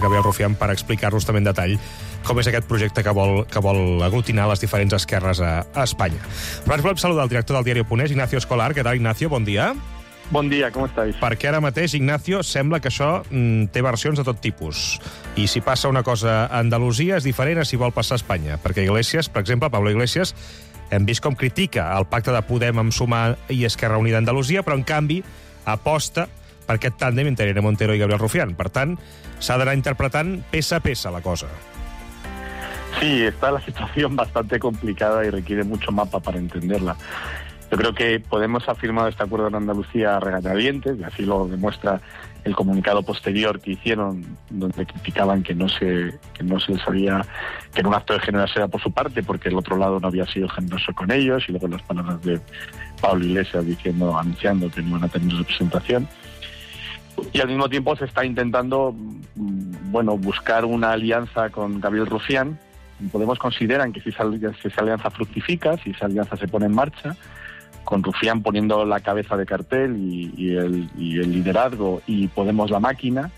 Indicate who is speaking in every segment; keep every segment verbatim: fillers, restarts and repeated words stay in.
Speaker 1: Gabriel Rufián, per explicar-nos també en detall com és aquest projecte que vol, que vol aglutinar les diferents esquerres a, a Espanya. Però ens volem saludar el director del diari.es, Ignacio Escolar. Què tal, Ignacio? Bon dia.
Speaker 2: Bon dia, com estàs?
Speaker 1: Perquè ara mateix, Ignacio, sembla que això mm, té versions de tot tipus. I si passa una cosa a Andalusia és diferent a si vol passar a Espanya. Perquè Iglesias, per exemple, Pablo Iglesias, hem vist com critica el pacte de Podem amb Sumar i Esquerra Unida a Andalusia, però en canvi aposta per aquest tàndem entre Irene Montero i Gabriel Rufián. Per tant, s'ha d'anar interpretant peça a peça la cosa.
Speaker 2: Sí, está la situación bastante complicada y requiere mucho mapa para entenderla. Yo creo que Podemos ha firmado este acuerdo en Andalucía a regañadientes, y así lo demuestra el comunicado posterior que hicieron, donde criticaban que no se que no se les había, que era un acto de generosidad por su parte, porque el otro lado no había sido generoso con ellos, y luego las palabras de Pablo Iglesias diciendo, anunciando que no iban a tener representación. Y al mismo tiempo se está intentando, bueno, buscar una alianza con Gabriel Rufián. Podemos consideran que si esa, si esa alianza fructifica, si esa alianza se pone en marcha, con Rufián poniendo la cabeza de cartel y, y, el, y el liderazgo, y Podemos la máquina,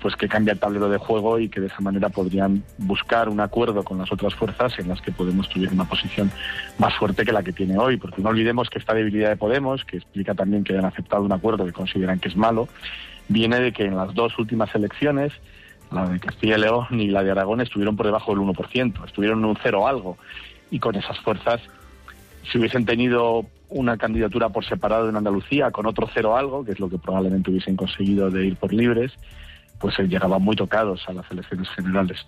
Speaker 2: pues que cambia el tablero de juego y que de esa manera podrían buscar un acuerdo con las otras fuerzas en las que Podemos tuviera una posición más fuerte que la que tiene hoy. Porque no olvidemos que esta debilidad de Podemos, que explica también que hayan aceptado un acuerdo que consideran que es malo, viene de que en las dos últimas elecciones, la de Castilla y León y la de Aragón, estuvieron por debajo del uno por ciento, estuvieron en un cero algo, y con esas fuerzas, si hubiesen tenido una candidatura por separado en Andalucía con otro cero algo, que es lo que probablemente hubiesen conseguido de ir por libres, pues se llegaban muy tocados a las elecciones generales.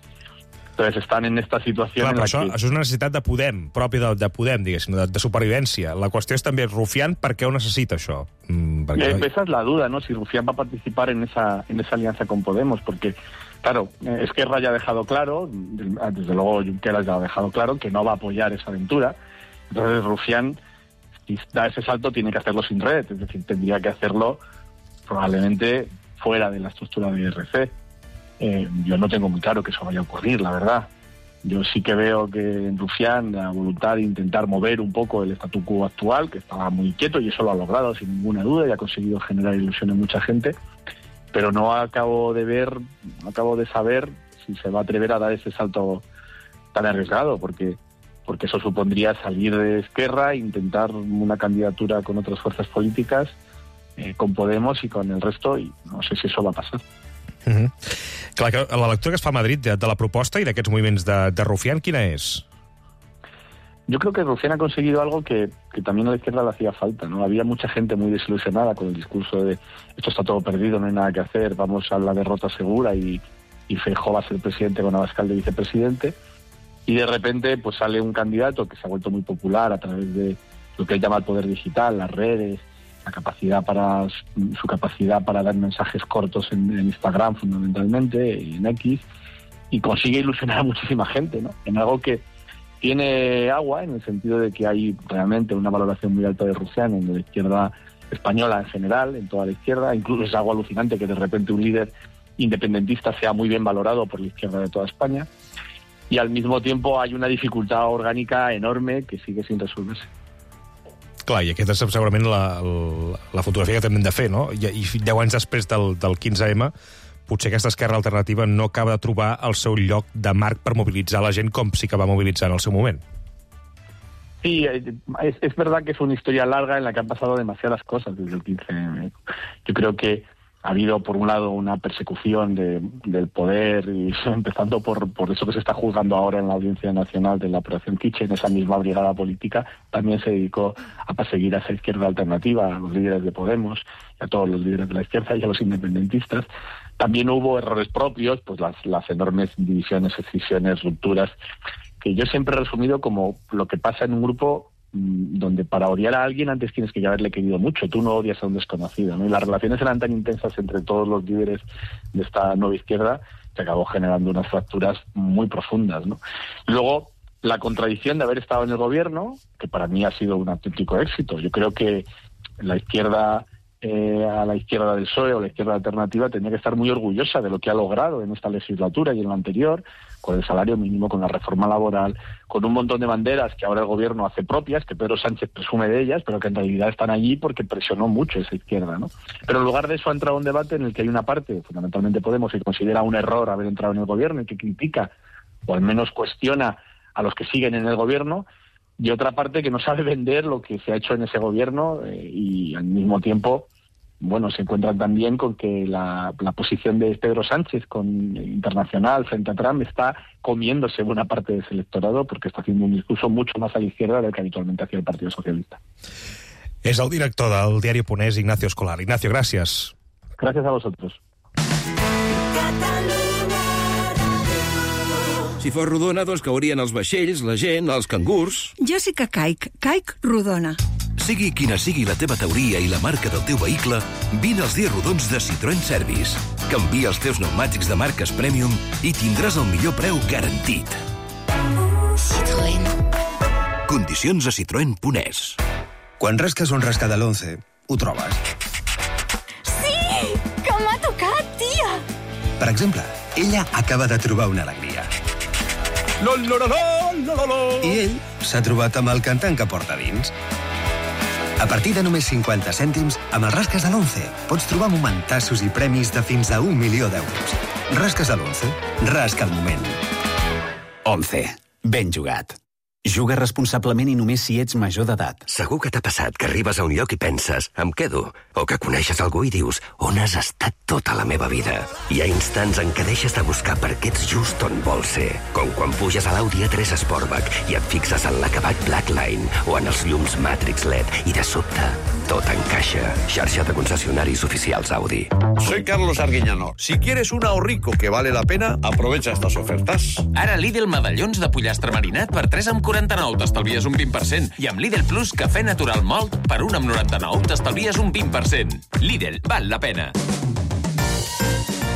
Speaker 2: Entonces están en esta situació
Speaker 1: Clar,
Speaker 2: en la
Speaker 1: això,
Speaker 2: que...
Speaker 1: això és una necessitat de Podem, pròpia de, de Podem, diguéssim, de, de supervivència. La qüestió és també Rufián, per què ho necessita això? Mm, perquè...
Speaker 2: eh, esa es la duda, ¿no? Si Rufián va a participar en esa, en esa alianza con Podemos, porque, claro, eh, Esquerra ya ha dejado claro, desde luego Junqueras ya ha dejado claro, que no va a apoyar esa aventura. Entonces Rufián, si da ese salto, tiene que hacerlo sin red, es decir, tendría que hacerlo probablemente fuera de la estructura de I R C. Eh, yo no tengo muy claro que eso vaya a ocurrir, la verdad. Yo sí que veo que en Rufián la voluntad de intentar mover un poco el statu quo actual, que estaba muy quieto, y eso lo ha logrado sin ninguna duda y ha conseguido generar ilusión en mucha gente, pero no acabo de ver, no acabo de saber si se va a atrever a dar ese salto tan arriesgado, porque porque eso supondría salir de Esquerra e intentar una candidatura con otras fuerzas políticas, eh, con Podemos y con el resto, y no sé si eso va a pasar.
Speaker 1: Uh-huh. Clar, que la lectura que es fa a Madrid de, de la proposta i d'aquests moviments de, de Rufián, quina és?
Speaker 2: Yo creo que Rufián ha conseguido algo que, que también a la izquierda le hacía falta, ¿no? Había mucha gente muy desilusionada con el discurso de esto está todo perdido, no hay nada que hacer, vamos a la derrota segura y, y Feijóo va a ser presidente con Abascal de vicepresidente. Y de repente pues sale un candidato que se ha vuelto muy popular a través de lo que él llama el poder digital, las redes, la capacidad para su capacidad para dar mensajes cortos en, en Instagram fundamentalmente, y en X, y consigue ilusionar a muchísima gente, ¿no? En algo que tiene agua, en el sentido de que hay realmente una valoración muy alta de Rufián en la izquierda española en general, en toda la izquierda. Incluso es algo alucinante que de repente un líder independentista sea muy bien valorado por la izquierda de toda España. Y al mismo tiempo hay una dificultad orgánica enorme que sigue sin resolverse.
Speaker 1: Clar, i aquesta és segurament la, la, la fotografia que també hem de fer, no? I, i deu anys després del, del quinze eme, potser aquesta esquerra alternativa no acaba de trobar el seu lloc de marc per mobilitzar la gent com sí que va mobilitzar en el seu moment.
Speaker 2: Sí, es, es verdad que es una historia larga en la que han pasado demasiadas cosas desde el quince eme. Yo creo que ha habido, por un lado, una persecución de, del poder, y empezando por, por eso que se está juzgando ahora en la Audiencia Nacional de la Operación Kitchen. Esa misma brigada política también se dedicó a perseguir a esa izquierda alternativa, a los líderes de Podemos, y a todos los líderes de la izquierda y a los independentistas. También hubo errores propios, pues las, las enormes divisiones, escisiones, rupturas, que yo siempre he resumido como lo que pasa en un grupo donde para odiar a alguien antes tienes que haberle querido mucho, tú no odias a un desconocido, ¿no? Y las relaciones eran tan intensas entre todos los líderes de esta nueva izquierda que acabó generando unas fracturas muy profundas, ¿no? Luego, la contradicción de haber estado en el gobierno, que para mí ha sido un auténtico éxito. Yo creo que la izquierda eh, a la izquierda del P S O E o la izquierda alternativa tendría que estar muy orgullosa de lo que ha logrado en esta legislatura y en la anterior, con el salario mínimo, con la reforma laboral, con un montón de banderas que ahora el gobierno hace propias, que Pedro Sánchez presume de ellas, pero que en realidad están allí porque presionó mucho esa izquierda, ¿no? Pero en lugar de eso ha entrado un debate en el que hay una parte, fundamentalmente Podemos, que considera un error haber entrado en el gobierno y que critica, o al menos cuestiona a los que siguen en el gobierno, y otra parte que no sabe vender lo que se ha hecho en ese gobierno eh, y al mismo tiempo, bueno, se encuentran también con que la, la posición de Pedro Sánchez con internacional frente a Trump está comiéndose buena parte de ese electorado porque está haciendo un discurso mucho más a la izquierda del que habitualmente hacía el Partido Socialista.
Speaker 1: És el director del diari Ponès, Ignacio Escolar. Ignacio, gràcies.
Speaker 2: Gracias a vosotros.
Speaker 3: Si fos rodona, doncs caurien els vaixells, la gent, els cangurs...
Speaker 4: Jo sí que caic. Caic rodona.
Speaker 3: Sigui quina sigui la teva teoria i la marca del teu vehicle, vine als dies rodons de Citroën Service. Canvia els teus pneumàtics de marques Premium i tindràs el millor preu garantit.
Speaker 5: Citroën.
Speaker 3: Condicions a citroen punt es.
Speaker 6: Quan rasques un rasca de l'once, ho trobes.
Speaker 5: Sí! Que m'ha tocat, tia!
Speaker 6: Per exemple, ella acaba de trobar una alegria.
Speaker 3: Lo, lo, lo, lo, lo, lo.
Speaker 6: I ell s'ha trobat amb el cantant que porta dins. A partir de només cinquanta cèntims, amb els rasques de l'once, pots trobar momentassos i premis de fins a un milió d'euros. Rasques de l'once. Rasca el moment.
Speaker 7: Once. Ben jugat. Juga responsablement i només si ets major d'edat.
Speaker 8: Segur que t'ha passat que arribes a un lloc i penses, em quedo, o que coneixes algú i dius, on has estat tota la meva vida? Hi ha instants en què deixes de buscar perquè ets just on vols ser, com quan puges a l'Audi A tres Sportback i et fixes en l'acabat Blackline o en els llums Matrix L E D i de sobte tot encaixa. Xarxa de concessionaris oficials Audi.
Speaker 9: Soy Carlos Arguiñano. Si quieres un ahorrico que vale la pena, aprovecha estas ofertas.
Speaker 10: Ara Lidl medallons de pollastre marinat per tres amb quaranta-nou t'estalvies un vint per cent. I amb Lidl Plus cafè natural malt per un amb noranta-nou t'estalvies un vint per cent. Lidl, val la pena.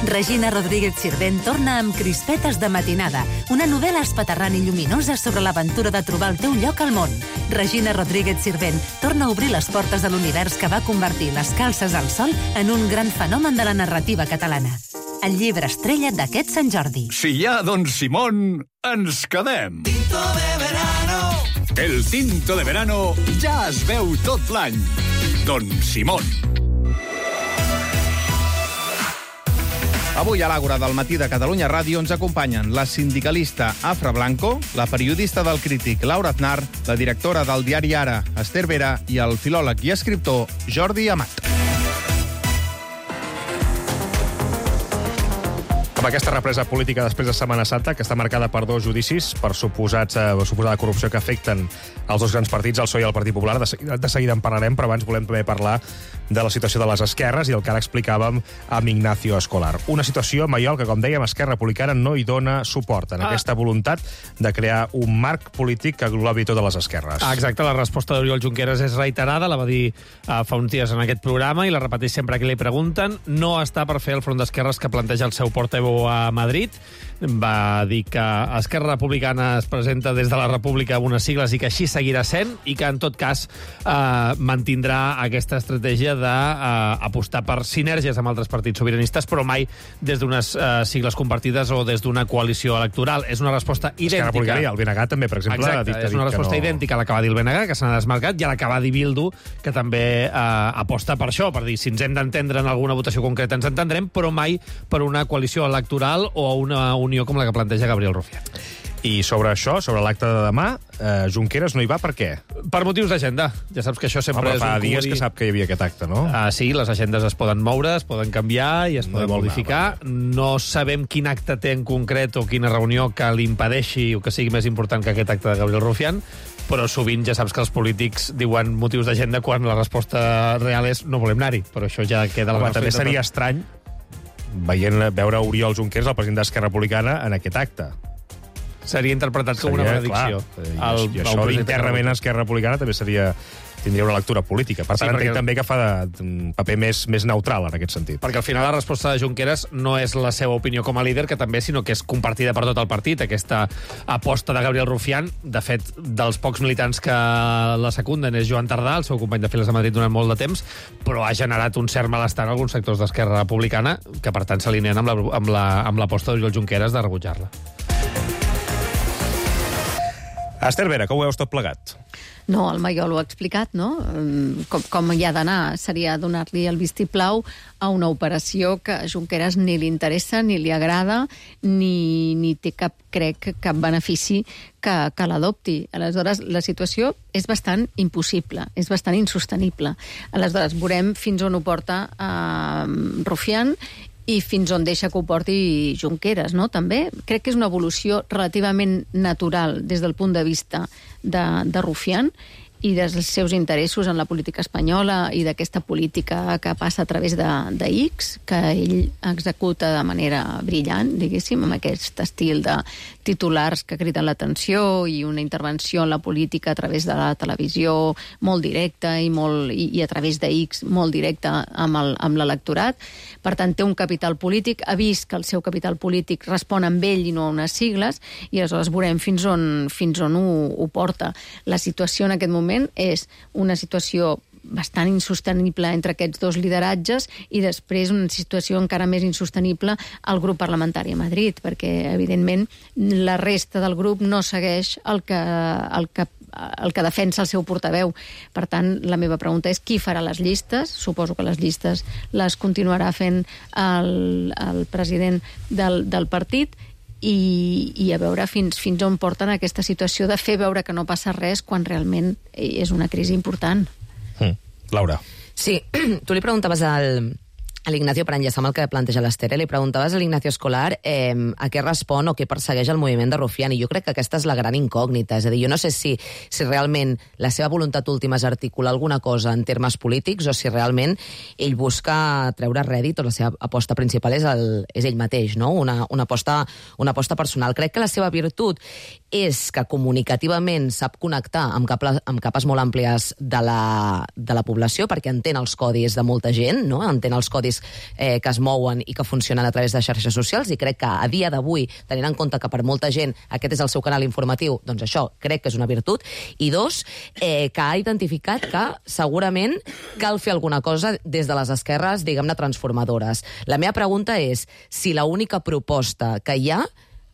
Speaker 11: Regina Rodríguez Sirvent torna amb Crispetes de matinada, una novel·la espaterrant i lluminosa sobre l'aventura de trobar el teu lloc al món. Regina Rodríguez Sirvent torna a obrir les portes de l'univers que va convertir les calces al sol en un gran fenomen de la narrativa catalana. El llibre estrella d'aquest Sant Jordi.
Speaker 12: Si hi ha Don Simón, ens quedem.
Speaker 13: Tinto de verano.
Speaker 12: El tinto de verano ja es veu tot l'any. Don Simón.
Speaker 14: Avui a l'Àgora del matí de Catalunya Ràdio ens acompanyen la sindicalista Afra Blanco, la periodista del Crític Laura Aznar, la directora del diari Ara, Esther Vera, i el filòleg i escriptor Jordi Amat.
Speaker 1: Amb aquesta represa política després de Setmana Santa, que està marcada per dos judicis per suposats, eh, suposada corrupció que afecten els dos grans partits, el P S O E i el Partit Popular, de seguida, de seguida en parlarem, però abans volem també parlar de la situació de les esquerres i el que ara explicàvem amb Ignacio Escolar. Una situació, Maiol, que, com dèiem, Esquerra Republicana no hi dona suport en ah. aquesta voluntat de crear un marc polític que englobi totes les esquerres.
Speaker 15: Ah, exacte, la resposta d'Oriol Junqueras és reiterada, la va dir uh, fa uns dies en aquest programa i la repeteix sempre que li pregunten. No està per fer el front d'esquerres que planteja el seu portaveu a Madrid. Va dir que Esquerra Republicana es presenta des de la República amb unes sigles i que així seguirà sent i que, en tot cas, eh, mantindrà aquesta estratègia d'apostar eh, per sinergies amb altres partits sobiranistes, però mai des d'unes eh, sigles compartides o des d'una coalició electoral. És una resposta idèntica.
Speaker 1: Esquerra Republicana i el B N G també, per exemple,
Speaker 15: Exacte,
Speaker 1: ha dit,
Speaker 15: és una resposta
Speaker 1: no...
Speaker 15: idèntica a la que va dir el B N G, que s'ha desmarcat, i a la que va dir Bildu, que també eh, aposta per això, per dir, si ens hem d'entendre en alguna votació concreta ens entendrem, però mai per una coalició electoral o una unió com la que planteja Gabriel Rufián.
Speaker 1: I sobre això, sobre l'acte de demà, eh, Junqueras no hi va per què?
Speaker 15: Per motius d'agenda. Ja saps que això sempre
Speaker 1: Home,
Speaker 15: és un
Speaker 1: fa dies
Speaker 15: comodí.
Speaker 1: que sap que hi havia aquest acte, no?
Speaker 15: Ah, sí, les agendes es poden moure, es poden canviar i es poden no modificar. No sabem quin acte té en concret o quina reunió que l'impedeixi o que sigui més important que aquest acte de Gabriel Rufián, però sovint ja saps que els polítics diuen motius d'agenda quan la resposta real és no volem anar-hi, però això ja queda a la
Speaker 1: Home,
Speaker 15: nostra
Speaker 1: també seria estrany veient, veure Oriol Junqueras, el president d'Esquerra Republicana, en aquest acte.
Speaker 15: Seria interpretat com una benedicció.
Speaker 1: Clar, I, i això internament a Esquerra Republicana també seria... tindria una lectura política. Per tant, sí, entenc també que fa de, un paper més, més neutral en aquest sentit.
Speaker 15: Perquè al final la resposta de Junqueras no és la seva opinió com a líder, que també, sinó que és compartida per tot el partit, aquesta aposta de Gabriel Rufián. De fet, dels pocs militants que la secunden és Joan Tardà, el seu company de files de Madrid durant molt de temps, però ha generat un cert malestar en alguns sectors d'Esquerra Republicana, que per tant s'alineen amb l'aposta amb la, amb la, d'Oriol Junqueras de rebutjar-la.
Speaker 1: Esther Vera, com ho veus tot plegat?
Speaker 13: No, el Maiol ho ha explicat, no? Com, com hi ha d'anar seria donar-li el vistiplau a una operació que a Junqueras ni li interessa, ni li agrada, ni, ni té cap, crec, cap benefici que, que l'adopti. Aleshores, la situació és bastant impossible, és bastant insostenible. Aleshores, veurem fins on ho porta eh, Rufián i fins on deixa que ho porti Junqueras, no? També crec que és una evolució relativament natural des del punt de vista de, de Rufián i dels seus interessos en la política espanyola i d'aquesta política que passa a través de, de X, que ell executa de manera brillant, diguéssim, amb aquest estil de titulars que criden l'atenció i una intervenció en la política a través de la televisió molt directa i, molt, i, i a través de X molt directa amb, el, amb l'electorat. Per tant, té un capital polític, ha vist que el seu capital polític respon amb ell i no a unes sigles, i aleshores veurem fins on, fins on ho, ho porta. La situació en aquest moment és una situació bastant insostenible entre aquests dos lideratges i després una situació encara més insostenible al grup parlamentari a Madrid, perquè, evidentment, la resta del grup no segueix el que, el que, el que defensa el seu portaveu. Per tant, la meva pregunta és qui farà les llistes? Suposo que les llistes les continuarà fent el, el president del, del partit, I, i a veure fins, fins on porten aquesta situació de fer veure que no passa res quan realment és una crisi important.
Speaker 1: Mm. Laura.
Speaker 16: Sí, tu li preguntaves al, a l'Ignacio, per enllaçar amb el que planteja l'Esther, li preguntaves a l'Ignacio Escolar eh, a què respon o què persegueix el moviment de Rufián, i jo crec que aquesta és la gran incògnita. És a dir, jo no sé si, si realment la seva voluntat última és articular alguna cosa en termes polítics o si realment ell busca treure rèdit o la seva aposta principal és, el, és ell mateix, no? Una, una, aposta, una aposta personal. Crec que la seva virtut és que comunicativament sap connectar amb, cap, amb capes molt àmplies de la, de la població, perquè entén els codis de molta gent, no? Entén els codis eh, que es mouen i que funcionen a través de xarxes socials, i crec que a dia d'avui, tenint en compte que per molta gent aquest és el seu canal informatiu, doncs això crec que és una virtut. I dos, eh, que ha identificat que segurament cal fer alguna cosa des de les esquerres, diguem-ne, transformadores. La meva pregunta és si l'única proposta que hi ha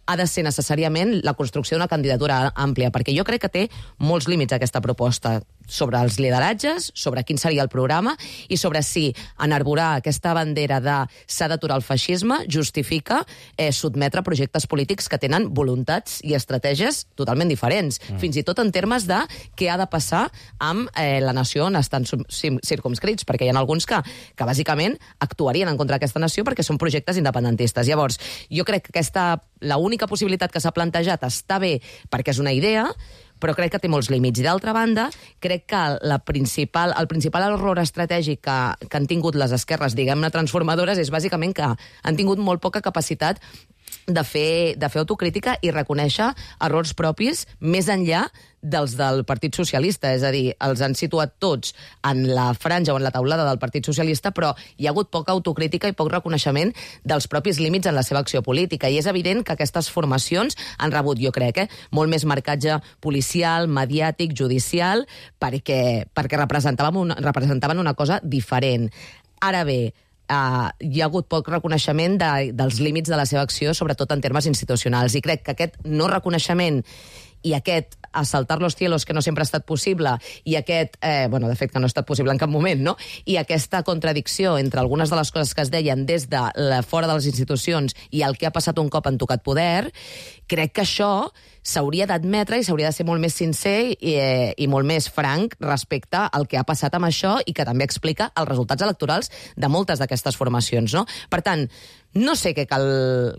Speaker 16: ha de ser necessàriament la construcció d'una candidatura àmplia, perquè jo crec que té molts límits aquesta proposta sobre els lideratges, sobre quin seria el programa i sobre si enarborar aquesta bandera de s'ha d'aturar el feixisme justifica eh, sotmetre projectes polítics que tenen voluntats i estratègies totalment diferents, mm. fins i tot en termes de què ha de passar amb eh, la nació on estan circumscrits, perquè hi ha alguns que, que bàsicament actuarien en contra d'aquesta nació perquè són projectes independentistes. Llavors, jo crec que aquesta, la única possibilitat que s'ha plantejat està bé perquè és una idea, però crec que té molts límits. I d'altra banda, crec que la principal, el principal error estratègic que, que han tingut les esquerres, diguem-ne, transformadores, és bàsicament que han tingut molt poca capacitat de fer, de fer autocrítica i reconèixer errors propis més enllà dels del Partit Socialista. És a dir, els han situat tots en la franja o en la taulada del Partit Socialista, però hi ha hagut poca autocrítica i poc reconeixement dels propis límits en la seva acció política. I és evident que aquestes formacions han rebut, jo crec, eh, molt més marcatge policial, mediàtic, judicial, perquè, perquè representaven una, representaven una cosa diferent. Ara bé, Uh, hi ha hagut poc reconeixement de, dels límits de la seva acció, sobretot en termes institucionals, i crec que aquest no reconeixement i aquest a saltar los cielos, que no sempre ha estat possible, i aquest, eh, bueno, de fet que no ha estat possible en cap moment, no? I aquesta contradicció entre algunes de les coses que es deien des de la, fora de les institucions i el que ha passat un cop han tocat poder, crec que això s'hauria d'admetre i s'hauria de ser molt més sincer i, eh, i molt més franc respecte al que ha passat amb això i que també explica els resultats electorals de moltes d'aquestes formacions, no? Per tant, no sé què cal,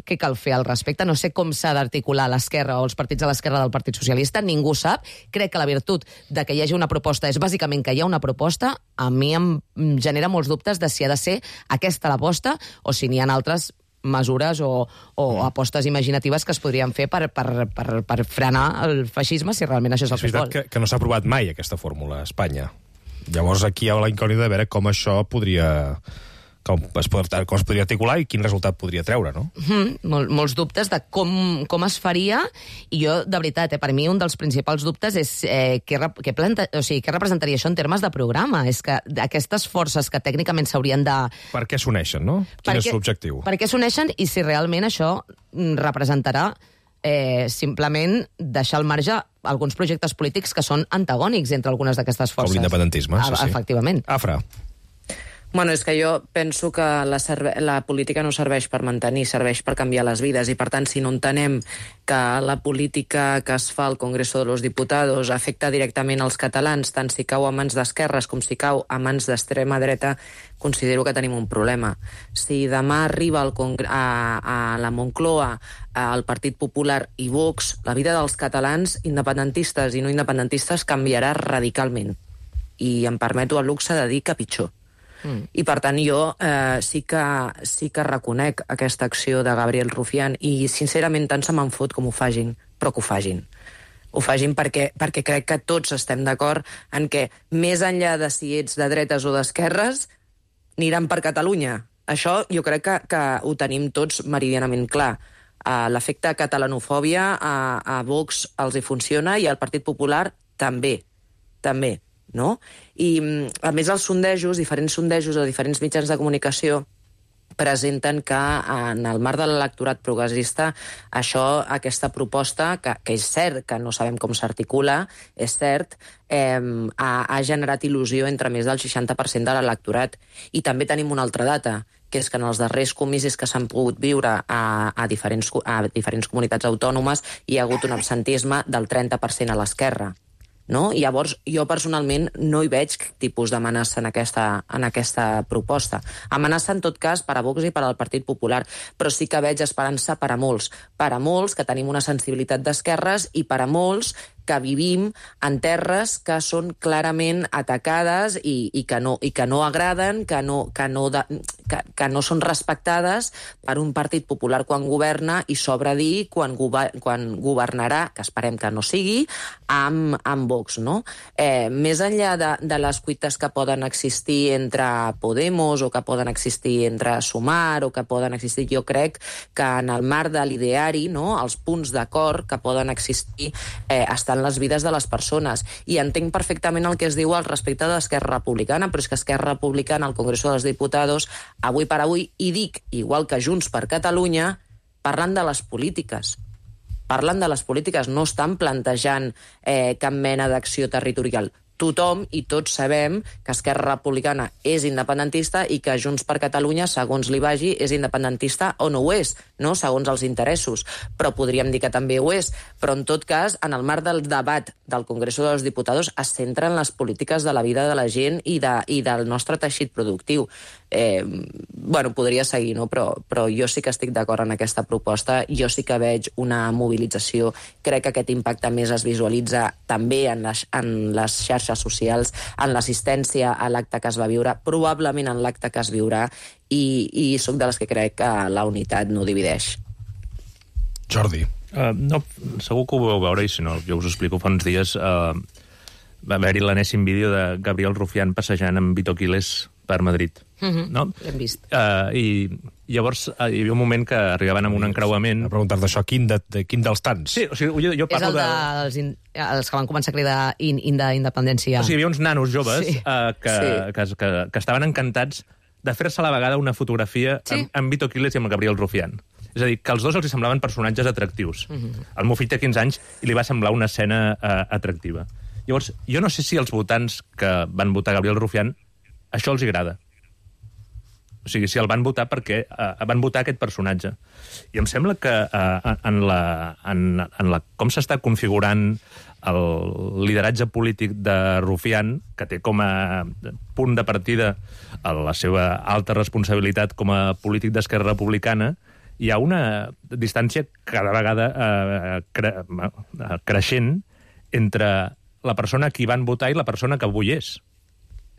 Speaker 16: què cal fer al respecte, no sé com s'ha d'articular l'esquerra o els partits de l'esquerra del Partit Socialista, ningú sap. Crec que la virtut de que hi hagi una proposta és bàsicament que hi ha una proposta. A mi em genera molts dubtes de si ha de ser aquesta l'aposta o si n'hi ha altres mesures o, o mm. apostes imaginatives que es podrien fer per, per, per, per frenar el feixisme, si realment això és el
Speaker 1: és
Speaker 16: que es vol.
Speaker 1: Que, que no s'ha aprovat mai aquesta fórmula a Espanya. Llavors aquí hi ha la incògnita de veure com això podria... Com es, pot, com es podria articular i quin resultat podria treure, no?
Speaker 16: Mm, mol, molts dubtes de com, com es faria, i jo, de veritat, eh, per mi un dels principals dubtes és eh, què, què, planta, o sigui, què representaria això en termes de programa. És que aquestes forces que tècnicament s'haurien de...
Speaker 1: Per què s'uneixen, no? Quin és l'objectiu?
Speaker 16: Per què s'uneixen i si realment això representarà eh, simplement deixar al marge alguns projectes polítics que són antagònics entre algunes d'aquestes forces.
Speaker 1: Com l'independentisme, sí, sí.
Speaker 16: Efectivament.
Speaker 1: Afra.
Speaker 16: Bueno, és que jo penso que la, la política no serveix per mantenir, serveix per canviar les vides, i per tant, si no entenem que la política que es fa al Congreso de los Diputados afecta directament als catalans, tant si cau a mans d'esquerres com si cau a mans d'extrema dreta, considero que tenim un problema. Si demà arriba al Congre a, a la Moncloa el Partit Popular i Vox, la vida dels catalans independentistes i no independentistes canviarà radicalment. I em permeto el luxe de dir que pitjor. Mm. I, per tant, jo eh, sí, que, sí que reconec aquesta acció de Gabriel Rufián i, sincerament, tant se me'n fot com ho fagin, però que ho fagin. Ho fagin perquè, perquè crec que tots estem d'acord en que, més enllà de si ets de dretes o d'esquerres, aniran per Catalunya. Això jo crec que, que ho tenim tots meridianament clar. Uh, l'efecte catalanofòbia a, a Vox els hi funciona i al Partit Popular també, també. No? I, a més, els sondejos, diferents sondejos de diferents mitjans de comunicació presenten que en el marc de l'electorat progressista això, aquesta proposta, que, que és cert que no sabem com s'articula, és cert, eh, ha, ha generat il·lusió entre més del seixanta per cent de l'electorat. I també tenim una altra data, que és que en els darrers comicis que s'han pogut viure a, a, diferents, a diferents comunitats autònomes hi ha hagut un absentisme del trenta per cent a l'esquerra. No? I llavors jo personalment no hi veig tipus d'amenaça en aquesta, en aquesta proposta. Amenaça en tot cas per a Vox i per al Partit Popular, però sí que veig esperança per a molts. Per a molts que tenim una sensibilitat d'esquerres i per a molts que vivim en terres que són clarament atacades i, i, que, no, i que no agraden, que no, que, no de, que, que no són respectades per un Partit Popular quan governa i sobra dir quan, gover, quan governarà, que esperem que no sigui, amb, amb Vox. No? Eh, més enllà de, de les cuites que poden existir entre Podemos o que poden existir entre Sumar o que poden existir, jo crec que en el marc de l'ideari, no? Els punts d'acord que poden existir eh, estan en les vides de les persones. I entenc perfectament el que es diu al respecte d'Esquerra Republicana, però és que Esquerra Republicana al Congreso dels Diputados, avui per avui, i dic, igual que Junts per Catalunya, parlant de les polítiques. Parlant de les polítiques, no estan plantejant eh, cap mena d'acció territorial. Tothom i tots sabem que Esquerra Republicana és independentista i que Junts per Catalunya, segons li vagi, és independentista o no ho és, no? Segons els interessos. Però podríem dir que també ho és. Però, en tot cas, en el marc del debat del Congreso de los Diputados es centra en les polítiques de la vida de la gent i, de, i del nostre teixit productiu. Eh, bueno, podria seguir, no? Però, però jo sí que estic d'acord en aquesta proposta. Jo sí que veig una mobilització. Crec que aquest impacte més es visualitza també en les, en les xarxes socials, en l'assistència a l'acte que es va viure, probablement en l'acte que es viurà, i, i soc de les que crec que la unitat no divideix.
Speaker 1: Jordi.
Speaker 17: Uh, no, segur que ho vau veure, i si no, jo us ho explico. Fa uns dies uh, va haver-hi l'enèsim vídeo de Gabriel Rufián passejant amb Vito Quiles per Madrid.
Speaker 16: Mm-hmm.
Speaker 17: No?
Speaker 16: L'hem vist.
Speaker 17: Uh, I llavors uh, hi havia un moment que arribaven amb un encreuament...
Speaker 1: A preguntar-te això, quin, de, de, quin dels tants?
Speaker 17: Sí, o sigui, jo, jo parlo
Speaker 16: és el de, de... Els, in, els que van començar a cridar in, in de independència.
Speaker 17: O sigui, hi havia uns nanos joves sí. uh, que,
Speaker 16: sí.
Speaker 17: que, que, que estaven encantats de fer-se a la vegada una fotografia sí. amb, amb Vito Quiles i amb Gabriel Rufián. És a dir, que els dos els semblaven personatges atractius. Mm-hmm. El meu fill té quinze anys i li va semblar una escena uh, atractiva. Llavors, jo no sé si els votants que van votar Gabriel Rufián això els agrada. O sigui, si el van votar perquè uh, van votar aquest personatge. I em sembla que uh, en, la, en, en la, com s'està configurant el lideratge polític de Rufián, que té com a punt de partida la seva alta responsabilitat com a polític d'Esquerra Republicana, hi ha una distància cada vegada uh, cre uh, creixent entre la persona a qui van votar i la persona que avui és.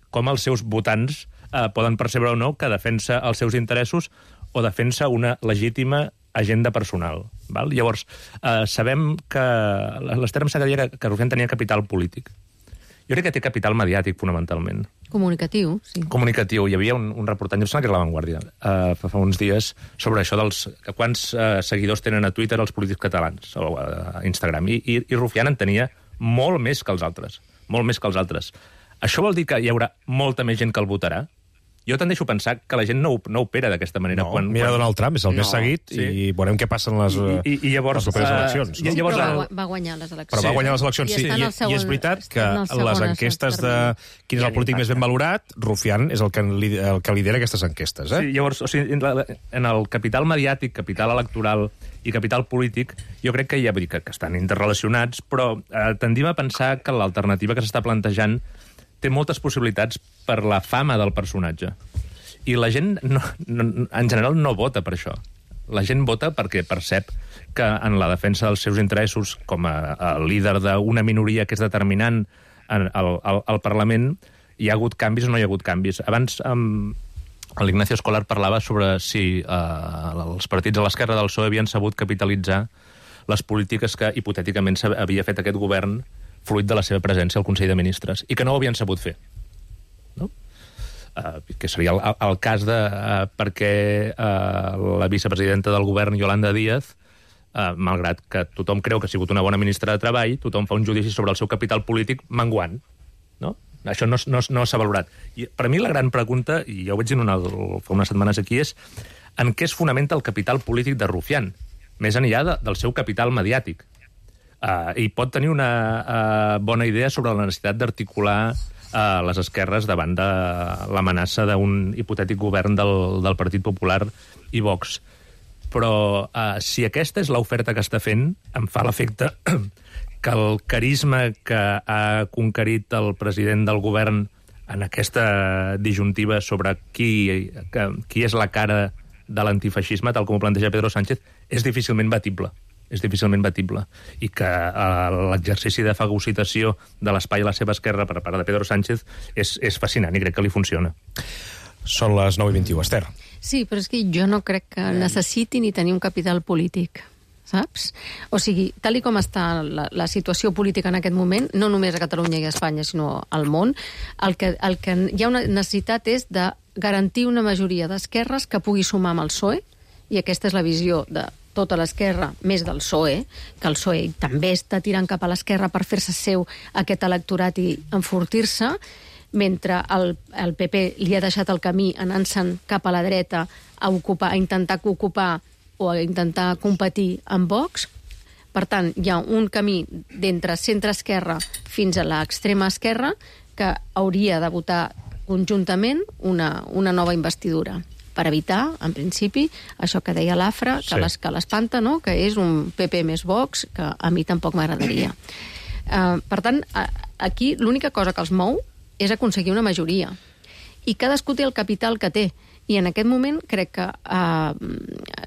Speaker 17: Com els seus votants eh, poden percebre o no que defensa els seus interessos o defensa una legítima agenda personal. Val? Llavors, eh, sabem que l'Ester em sembla que deia que Rufián tenia capital polític. Jo crec que té capital mediàtic, fonamentalment.
Speaker 13: Comunicatiu, sí.
Speaker 17: Comunicatiu. Hi havia un, un reportatge, em sembla que era La Vanguardia, uh, fa, fa uns dies, sobre això dels quants uh, seguidors tenen a Twitter els polítics catalans, o a Instagram. I, i, i Rufián en tenia molt més que els altres. Molt més que els altres. Això vol dir que hi haurà molta més gent que el votarà? Jo tendeixo a pensar que la gent no, no opera d'aquesta manera.
Speaker 1: No,
Speaker 17: quan,
Speaker 1: mira
Speaker 17: quan...
Speaker 1: Donald Trump, és el no, més seguit, sí. I veurem què passa en les,
Speaker 17: I, i, i llavors,
Speaker 1: les properes
Speaker 17: uh,
Speaker 1: eleccions.
Speaker 13: Sí,
Speaker 1: no?
Speaker 13: llavors, però va, va guanyar les eleccions.
Speaker 1: Però va guanyar les eleccions, sí. I, i, segon, i és veritat que les enquestes de quin és el polític més ben valorat, Rufián és el que, el que lidera aquestes enquestes. Eh?
Speaker 17: Sí, llavors, o sigui, en el capital mediàtic, capital electoral i capital polític, jo crec que hi ha que, que estan interrelacionats, però eh, tendim a pensar que l'alternativa que s'està plantejant té moltes possibilitats per la fama del personatge. I la gent, no, no, en general, no vota per això. La gent vota perquè percep que en la defensa dels seus interessos, com a, a líder d'una minoria que és determinant en, al, al, al Parlament, hi ha hagut canvis o no hi ha hagut canvis. Abans, um, l'Ignacio Escolar parlava sobre si uh, els partits a l'esquerra del P S O E havien sabut capitalitzar les polítiques que hipotèticament havia fet aquest govern fruit de la seva presència al Consell de Ministres, i que no ho havien sabut fer. No? Uh, que seria el, el cas de uh, perquè uh, la vicepresidenta del govern, Yolanda Díaz, uh, malgrat que tothom creu que ha sigut una bona ministra de Treball, tothom fa un judici sobre el seu capital polític menguant. No? Això no, no, no s'ha valorat. I per mi la gran pregunta, i ja ho vaig dir una, fa unes setmanes aquí, és en què es fonamenta el capital polític de Rufián, més enllà de, del seu capital mediàtic. Uh, I pot tenir una uh, bona idea sobre la necessitat d'articular a les esquerres davant de l'amenaça d'un hipotètic govern del, del Partit Popular i Vox. Però eh, si aquesta és l'oferta que està fent, em fa l'efecte que el carisma que ha conquerit el president del govern en aquesta disjuntiva sobre qui, que, qui és la cara de l'antifeixisme, tal com ho planteja Pedro Sánchez, és difícilment batible. és difícilment batible, i que uh, l'exercici de fagocitació de l'espai a la seva esquerra per part de Pedro Sánchez és, és fascinant i crec que li funciona.
Speaker 1: Són les nou i vint-i-u, Ester.
Speaker 13: Sí, però és que jo no crec que necessiti ni tenir un capital polític, saps? O sigui, tal i com està la, la situació política en aquest moment, no només a Catalunya i a Espanya, sinó al món, el que, el que hi ha una necessitat és de garantir una majoria d'esquerres que pugui sumar amb el P S O E, i aquesta és la visió de tota l'esquerra, més del P S O E, que el P S O E també està tirant cap a l'esquerra per fer-se seu aquest electorat i enfortir-se, mentre el, el P P li ha deixat el camí anant-se'n cap a la dreta a, ocupar, a intentar ocupar o a intentar competir amb Vox. Per tant, hi ha un camí d'entre centre-esquerra fins a l'extrema esquerra que hauria de votar conjuntament una, una nova investidura, per evitar, en principi, això que deia l'Afra, que, sí. que l'espanta, no? Que és un P P més Vox, que a mi tampoc m'agradaria. Uh, per tant, aquí l'única cosa que els mou és aconseguir una majoria. I cadascú té el capital que té. I en aquest moment crec que, uh,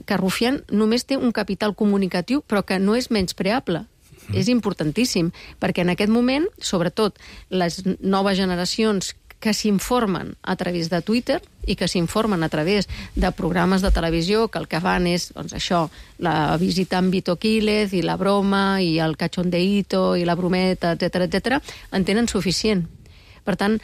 Speaker 13: que Rufián només té un capital comunicatiu, però que no és menyspreable. Mm. És importantíssim, perquè en aquest moment, sobretot, les noves generacions que s'informen a través de Twitter i que s'informen a través de programes de televisió que el que fan és, doncs això, la visita amb Vito Quílez i la broma i el cachondeíto i la brometa, etcètera, etcètera, en tenen suficient. Per tant,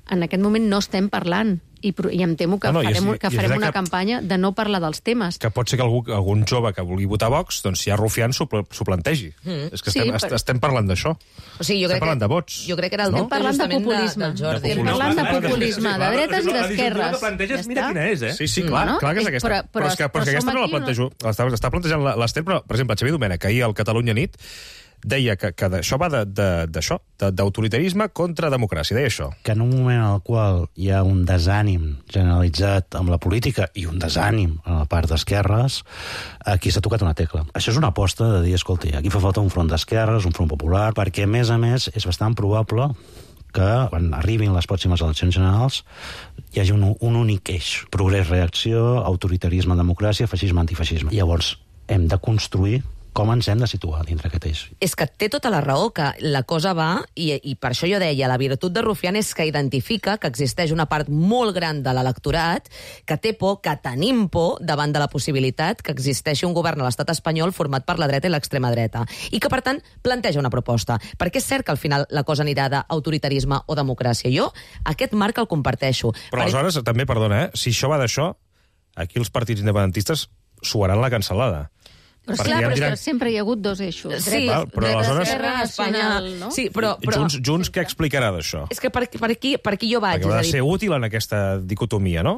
Speaker 13: en aquest moment no estem parlant i, i em temo que no, no, farem, és, que farem una que, campanya de no parlar dels temes.
Speaker 1: Que pot ser que algú, algun jove que vulgui votar Vox, doncs si hi ha Rufián s'ho plantegi. Mm. És que estem, sí, però... estem parlant d'això.
Speaker 16: O sigui, jo
Speaker 1: estem
Speaker 16: crec
Speaker 1: parlant
Speaker 16: que,
Speaker 1: de vots.
Speaker 16: Jo crec que era el
Speaker 1: no?
Speaker 16: tema
Speaker 13: parlant de
Speaker 16: populisme.
Speaker 13: De,
Speaker 16: de Jordi.
Speaker 13: Estem parlant de populisme, de dretes i d'esquerres.
Speaker 17: La planteges, mira quina és, eh?
Speaker 1: Sí, sí, clar, no, no? clar que és aquesta. Però, però, però és que, però és que aquesta no la plantejo. No? Està, està plantejant l'Ester, però, per exemple, Xavier Domènech, ahir al Catalunya Nit, deia que, que això va d'això, d'autoritarisme contra democràcia, deia això.
Speaker 18: Que en un moment en el qual hi ha un desànim generalitzat amb la política i un desànim en la part d'esquerres, aquí s'ha tocat una tecla. Això és una aposta de dir, escolti, aquí fa falta un front d'esquerres, un front popular, perquè, a més a més, és bastant probable que quan arribin les pròximes eleccions generals hi hagi un, un únic eix. Progrés, reacció, autoritarisme, democràcia, feixisme, antifeixisme. I llavors hem de construir com ens hem de situar dintre aquest eix.
Speaker 16: És que té tota la raó, que la cosa va, i, i per això jo deia, la virtut de Rufián és que identifica que existeix una part molt gran de l'electorat que té por, que tenim por davant de la possibilitat que existeixi un govern a l'estat espanyol format per la dreta i l'extrema dreta. I que, per tant, planteja una proposta. Perquè és cert que al final la cosa anirà d'autoritarisme o democràcia. Jo aquest marc el comparteixo.
Speaker 1: Però aleshores, per... també, perdona, eh? si això va d'això, aquí els partits independentistes suaran la cancel·lada.
Speaker 13: Però clar, però diran... sempre hi ha hagut dos eixos.
Speaker 16: Sí,
Speaker 1: Val, però aleshores...
Speaker 13: nacional, no?
Speaker 16: Sí, però, però...
Speaker 1: Junts, Junts què explicarà d'això?
Speaker 16: És que per, per, aquí, per aquí jo vaig.
Speaker 1: Perquè va
Speaker 16: dir...
Speaker 1: ser útil en aquesta dicotomia, no?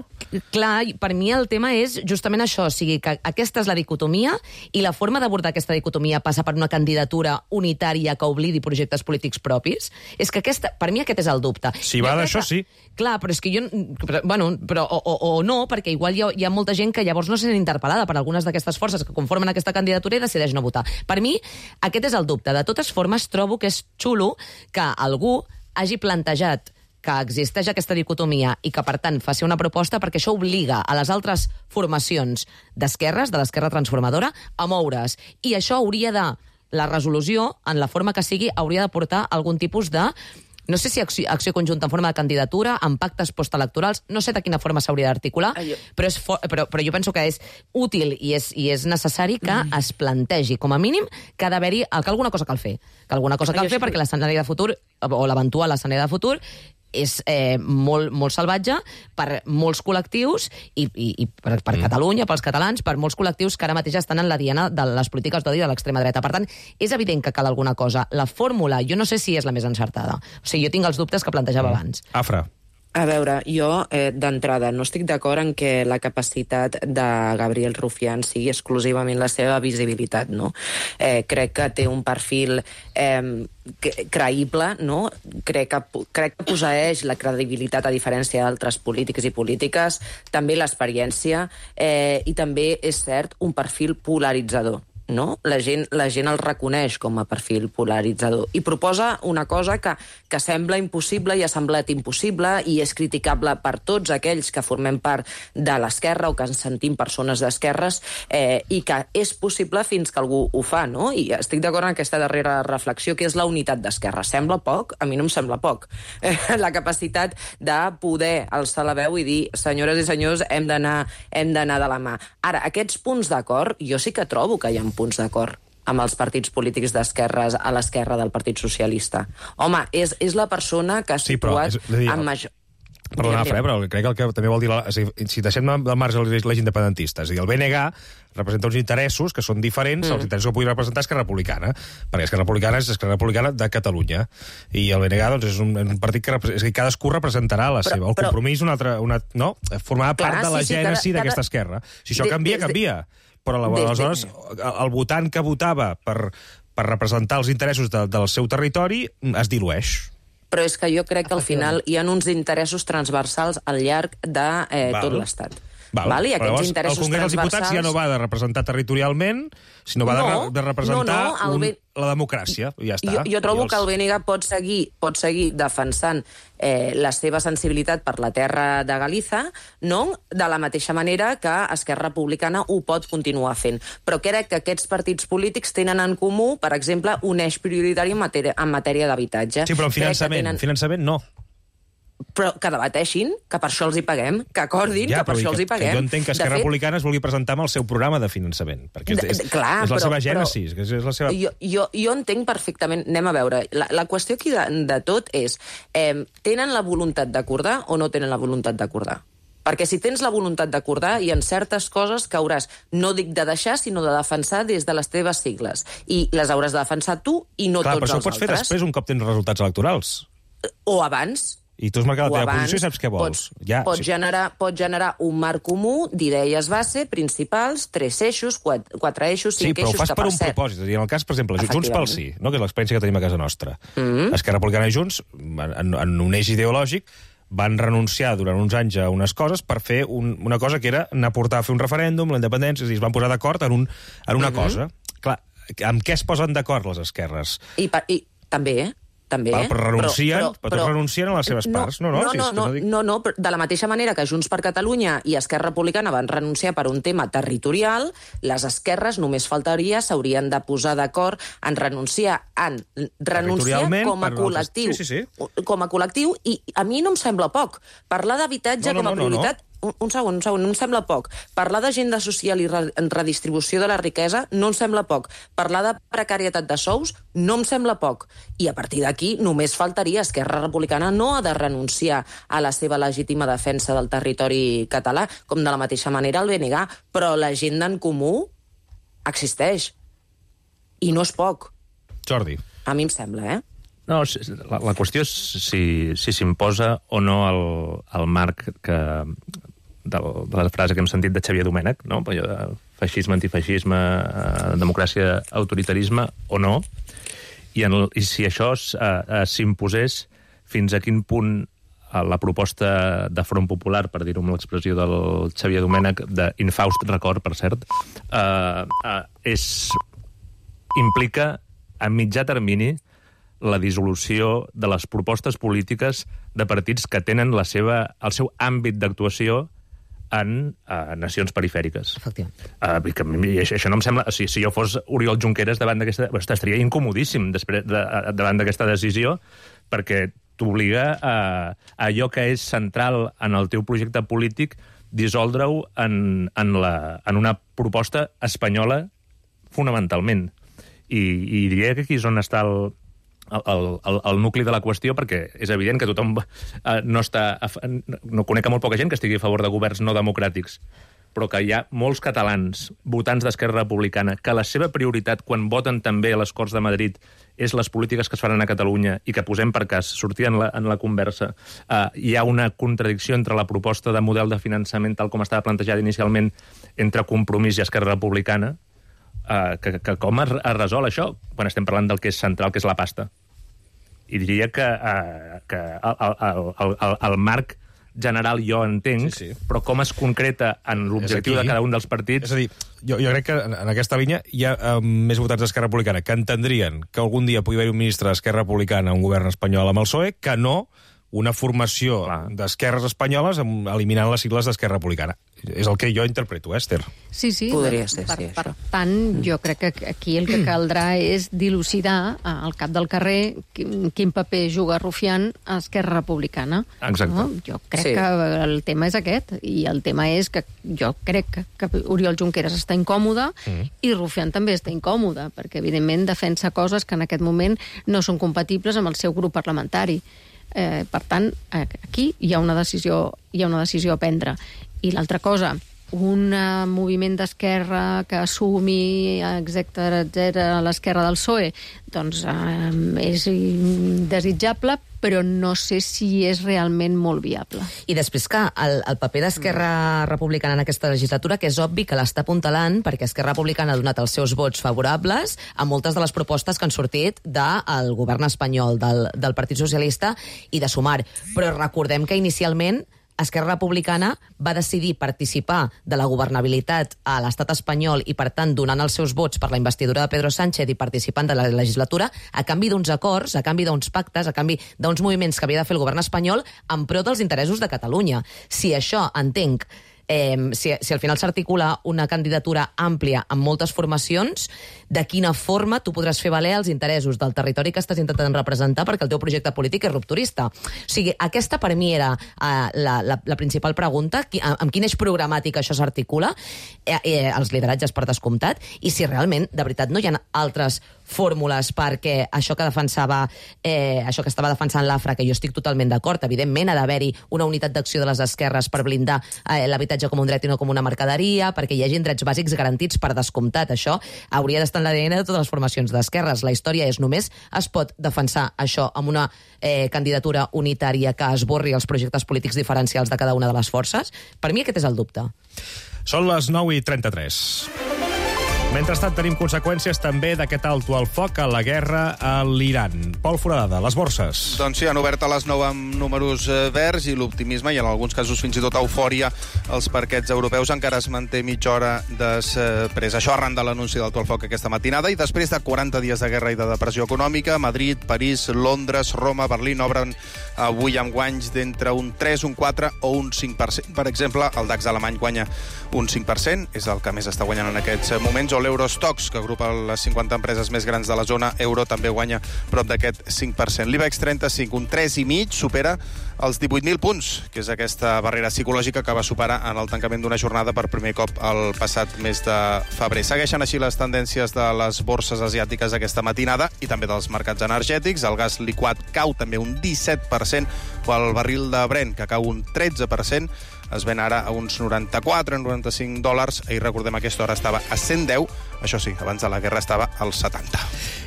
Speaker 16: Clar, per mi el tema és justament això, o sigui, que aquesta és la dicotomia i la forma d'abordar aquesta dicotomia passa per una candidatura unitària que oblidi projectes polítics propis. És que aquesta, per mi aquest és el dubte.
Speaker 1: Si va d'això, sí.
Speaker 16: Clar, però és que jo... Però, bueno, però, o, o, o no, perquè igual hi ha, hi ha molta gent que llavors no se sent interpel·lada per algunes d'aquestes forces que conformen aquesta candidatura i decideix no votar. Per mi, aquest és el dubte. De totes formes, trobo que és xulo que algú hagi plantejat que existeix aquesta dicotomia i que, per tant, faci una proposta perquè això obliga a les altres formacions d'esquerres, de l'esquerra transformadora, a moure's. I això hauria de... La resolució, en la forma que sigui, hauria de portar algun tipus de... No sé si acció, acció conjunta en forma de candidatura, amb pactes postelectorals, no sé de quina forma s'hauria d'articular, però, és for, però, però jo penso que és útil i és, i és necessari que mm. es plantegi, com a mínim, que ha d'haver-hi, que alguna cosa cal fer. Que alguna cosa cal fer perquè l'escenari de futur, o l'eventual escenari de futur, és eh, molt, molt salvatge per molts col·lectius i, i, i per, per mm. Catalunya, pels catalans, per molts col·lectius que ara mateix estan en la diana de les polítiques d'odi de l'extrema dreta. Per tant, és evident que cal alguna cosa. La fórmula, jo no sé si és la més encertada. O sigui, jo tinc els dubtes que plantejava mm. abans.
Speaker 1: Afra.
Speaker 19: A veure, jo, eh, d'entrada, no estic d'acord en que la capacitat de Gabriel Rufián sigui exclusivament la seva visibilitat, no? Eh, crec que té un perfil eh, creïble, no? Crec que, crec que posseeix la credibilitat a diferència d'altres polítics i polítiques, també l'experiència eh, i també, és cert, un perfil polaritzador. No? La gent, la gent el reconeix com a perfil polaritzador i proposa una cosa que, que sembla impossible i ha semblat impossible i és criticable per tots aquells que formem part de l'esquerra o que ens sentim persones d'esquerres eh, i que és possible fins que algú ho fa, no? I estic d'acord en aquesta darrera reflexió, que és la unitat d'esquerra. Sembla poc? A mi no em sembla poc. Eh, la capacitat de poder alçar la veu i dir, senyores i senyors, hem d'anar hem d'anar de la mà. Ara, aquests punts d'acord, jo sí que trobo que hi ha punts d'acord amb els partits polítics d'esquerres a l'esquerra del Partit Socialista. Home, és, és la persona que ha situat sí, però, és, amb major...
Speaker 1: Perdona, Fre, però crec que el que també vol dir... La, si deixem del marge l'eix independentista, és a dir, el B N G representa uns interessos que són diferents mm. als interessos que pugui representar Esquerra Republicana, perquè Esquerra Republicana és Esquerra Republicana de Catalunya, i el B N G doncs, és, un, un partit que, és que cadascú representarà la però, seva. El però... compromís, una altra, una, no? Formava part Clar, de la sí, gènesi sí, d'aquesta cada... esquerra. Si això canvia, canvia. Però aleshores el votant que votava per, per representar els interessos de, del seu territori es dilueix.
Speaker 19: Però és que jo crec que al final hi ha uns interessos transversals al llarg de eh, tot l'Estat.
Speaker 1: Val.
Speaker 19: Val? I aquests
Speaker 1: llavors,
Speaker 19: interessos
Speaker 1: el Congrés dels Diputats ja no va de representar territorialment, sinó va no, de, de representar no, no, un, B... la democràcia. Ja està.
Speaker 19: Jo, jo trobo
Speaker 1: els...
Speaker 19: que el B N G pot seguir, pot seguir defensant eh, la seva sensibilitat per la terra de Galiza, no? De la mateixa manera que Esquerra Republicana ho pot continuar fent. Però crec que aquests partits polítics tenen en comú, per exemple, un eix prioritari en matèria, en matèria d'habitatge.
Speaker 1: Sí, però en finançament, tenen... finançament no.
Speaker 19: Però que debateixin, que per això els hi paguem, que acordin, ja, que per això que, els hi paguem.
Speaker 1: Que jo entenc que Esquerra fet... Republicana es vulgui presentar amb el seu programa de finançament, perquè és, és, Clar, és la però, seva gènesi. Però, és la seva...
Speaker 19: jo, jo, jo entenc perfectament, anem a veure, la, la qüestió aquí de, de tot és, eh, tenen la voluntat d'acordar o no tenen la voluntat d'acordar? Perquè si tens la voluntat d'acordar, hi ha certes coses que hauràs, no dic de deixar, sinó de defensar des de les teves sigles. I les hauràs de defensar tu i no
Speaker 1: Clar,
Speaker 19: tots els altres.
Speaker 1: Clar, però això ho pots fer després, un cop tens resultats electorals.
Speaker 19: O abans.
Speaker 1: I tu has marcat la teva posició i saps què vols.
Speaker 19: Pots,
Speaker 1: ja,
Speaker 19: pots,
Speaker 1: sí.
Speaker 19: generar, pots generar un marc comú d'idees base, principals, tres eixos, quatre, quatre eixos, cinc eixos...
Speaker 1: Sí, però ho fas per un
Speaker 19: set.
Speaker 1: propòsit. En el cas, per exemple, Junts pel Sí, no? Que és l'experiència que tenim a casa nostra. Mm-hmm. Esquerra Republicana i Junts, en, en un eix ideològic, van renunciar durant uns anys a unes coses per fer un, una cosa que era anar a portar a fer un referèndum, la independència, és a dir, es van posar d'acord en, un, en una mm-hmm. cosa. Clar, amb què es posen d'acord les esquerres?
Speaker 19: I, i també, eh? també.
Speaker 1: Val, però renuncien,
Speaker 19: però,
Speaker 1: però, però, però renuncien a les seves
Speaker 19: no,
Speaker 1: parts. No, no,
Speaker 19: no,
Speaker 1: si
Speaker 19: no,
Speaker 1: és que
Speaker 19: no,
Speaker 1: no, dic...
Speaker 19: no, no, de la mateixa manera que Junts per Catalunya i Esquerra Republicana van renunciar per un tema territorial, les esquerres només faltaria, s'haurien de posar d'acord en renunciar, en renunciar com a col·lectiu. Sí, sí, sí. Com a col·lectiu, i a mi no em sembla poc. Parlar d'habitatge no, no, com a no, prioritat... No, no. Un, un segon, un segon, no em sembla poc. Parlar d'agenda social i re redistribució de la riquesa no em sembla poc. Parlar de precarietat de sous no em sembla poc. I a partir d'aquí només faltaria. Esquerra Republicana no ha de renunciar a la seva legítima defensa del territori català, com de la mateixa manera el B N G, però l'agenda en comú existeix. I no és poc.
Speaker 1: Jordi.
Speaker 19: A mi em sembla, eh?
Speaker 17: No, la, la qüestió és si s'imposa si o no el, el marc que, del, de la frase que hem sentit de Xavier Domènech, no? De feixisme, antifeixisme, eh, democràcia, autoritarisme o no, i, en el, i si això eh, s'imposés, fins a quin punt eh, la proposta de Front Popular, per dir-ho amb l'expressió del Xavier Domènech, d'infaust record, per cert, eh, eh, és, implica a mitjà termini la dissolució de les propostes polítiques de partits que tenen la seva, el seu àmbit d'actuació en uh, nacions perifèriques.
Speaker 16: Efectivament.
Speaker 17: Uh, que, i això, això no em sembla... Si, si jo fos Oriol Junqueras davant d'aquesta... Estaria incomodíssim després de, davant d'aquesta decisió, perquè t'obliga a, a allò que és central en el teu projecte polític dissoldre-ho en, en, la, en una proposta espanyola fonamentalment. I, i diria que aquí és on està el... El, el, el nucli de la qüestió, perquè és evident que tothom eh, no està... No conec a molt poca gent que estigui a favor de governs no democràtics, però que hi ha molts catalans, votants d'Esquerra Republicana, que la seva prioritat, quan voten també a les Corts de Madrid, és les polítiques que es faran a Catalunya i que posem per cas, sortir en la, en la conversa, eh, hi ha una contradicció entre la proposta de model de finançament tal com estava plantejada inicialment entre Compromís i Esquerra Republicana, eh, que, que com es, es resol això quan estem parlant del que és central, que és la pasta. I diria que, uh, que el, el, el, el, el marc general jo entenc, sí, sí. Però com es concreta en l'objectiu de cada un dels partits...
Speaker 1: És a dir, jo, jo crec que en, en aquesta línia hi ha uh, més votants d'Esquerra Republicana que entendrien que algun dia pugui haver un ministre d'Esquerra Republicana a un govern espanyol amb el P S O E, que no una formació d'esquerres espanyoles eliminant les sigles d'Esquerra Republicana. És el que jo interpreto, Esther.
Speaker 13: Sí, sí.
Speaker 19: Podria ser,
Speaker 13: per,
Speaker 19: sí,
Speaker 13: per tant, jo crec que aquí el que caldrà és dilucidar al cap del carrer quin, quin paper juga Rufián a Esquerra Republicana.
Speaker 17: Exacte.
Speaker 13: No? Jo crec
Speaker 17: sí.
Speaker 13: que el tema és aquest, i el tema és que jo crec que, que Oriol Junqueras està incòmode mm. i Rufián també està incòmode, perquè evidentment defensa coses que en aquest moment no són compatibles amb el seu grup parlamentari. Eh, per tant, aquí hi ha una decisió, hi ha una decisió a prendre. I l'altra cosa, un uh, moviment d'esquerra que assumi, etcètera, etcètera, l'esquerra del P S O E, doncs uh, és desitjable, però no sé si és realment molt viable.
Speaker 16: I després que el, el paper d'Esquerra Republicana en aquesta legislatura, que és obvi que l'està apuntalant, perquè Esquerra Republicana ha donat els seus vots favorables a moltes de les propostes que han sortit del govern espanyol, del, del Partit Socialista i de Sumar. Però recordem que inicialment Esquerra Republicana va decidir participar de la governabilitat a l'estat espanyol i, per tant, donant els seus vots per la investidura de Pedro Sánchez i participant de la legislatura a canvi d'uns acords, a canvi d'uns pactes, a canvi d'uns moviments que havia de fer el govern espanyol en pro dels interessos de Catalunya. Si això, entenc, eh, si, si al final s'articula una candidatura àmplia amb moltes formacions, de quina forma tu podràs fer valer els interessos del territori que estàs intentant representar perquè el teu projecte polític és rupturista. O sigui, aquesta per mi era eh, la, la, la principal pregunta, qui, amb quin eix programàtic això s'articula, eh, eh, els lideratges per descomptat, i si realment, de veritat, no hi ha altres fórmules perquè això que defensava, eh, això que estava defensant l'Afra, que jo estic totalment d'acord, evidentment ha d'haver-hi una unitat d'acció de les esquerres per blindar eh, l'habitatge com un dret i no com una mercaderia, perquè hi hagi drets bàsics garantits per descomptat. Això hauria d'estar en l'A D N de totes les formacions d'esquerres. La història és només es pot defensar això amb una eh, candidatura unitària que esborri els projectes polítics diferencials de cada una de les forces. Per mi aquest és el dubte.
Speaker 1: Són les nou i trenta-tres. Mentrestant, tenim conseqüències també d'aquest alto al foc a la guerra a l'Iran. Pol Foradada, les borses.
Speaker 14: Doncs sí, han obert a les nou amb números verds i l'optimisme, i en alguns casos fins i tot eufòria, els parquets europeus encara es manté mitja hora després. Això arran de l'anunci d'alto al foc aquesta matinada, i després de quaranta dies de guerra i de depressió econòmica, Madrid, París, Londres, Roma, Berlín obren avui amb guanys d'entre un tres, un quatre o un cinc per cent. Per exemple, el DAX alemany guanya un cinc per cent, és el que més està guanyant en aquests moments, o l'Eurostoxx, que agrupa les cinquanta empreses més grans de la zona euro, també guanya prop d'aquest cinc per cent. L'IBEX trenta-cinc, un tres i mig, supera els divuit mil punts, que és aquesta barrera psicològica que va superar en el tancament d'una jornada per primer cop el passat mes de febrer. Segueixen així les tendències de les borses asiàtiques aquesta matinada i també dels mercats energètics. El gas liquat cau també un disset per cent, o el barril de Brent, que cau un tretze per cent, es ven ara a uns noranta-quatre, noranta-cinc dòlars. Ahir, recordem, a aquesta hora estava a cent deu. Això sí, abans de la guerra estava als setanta.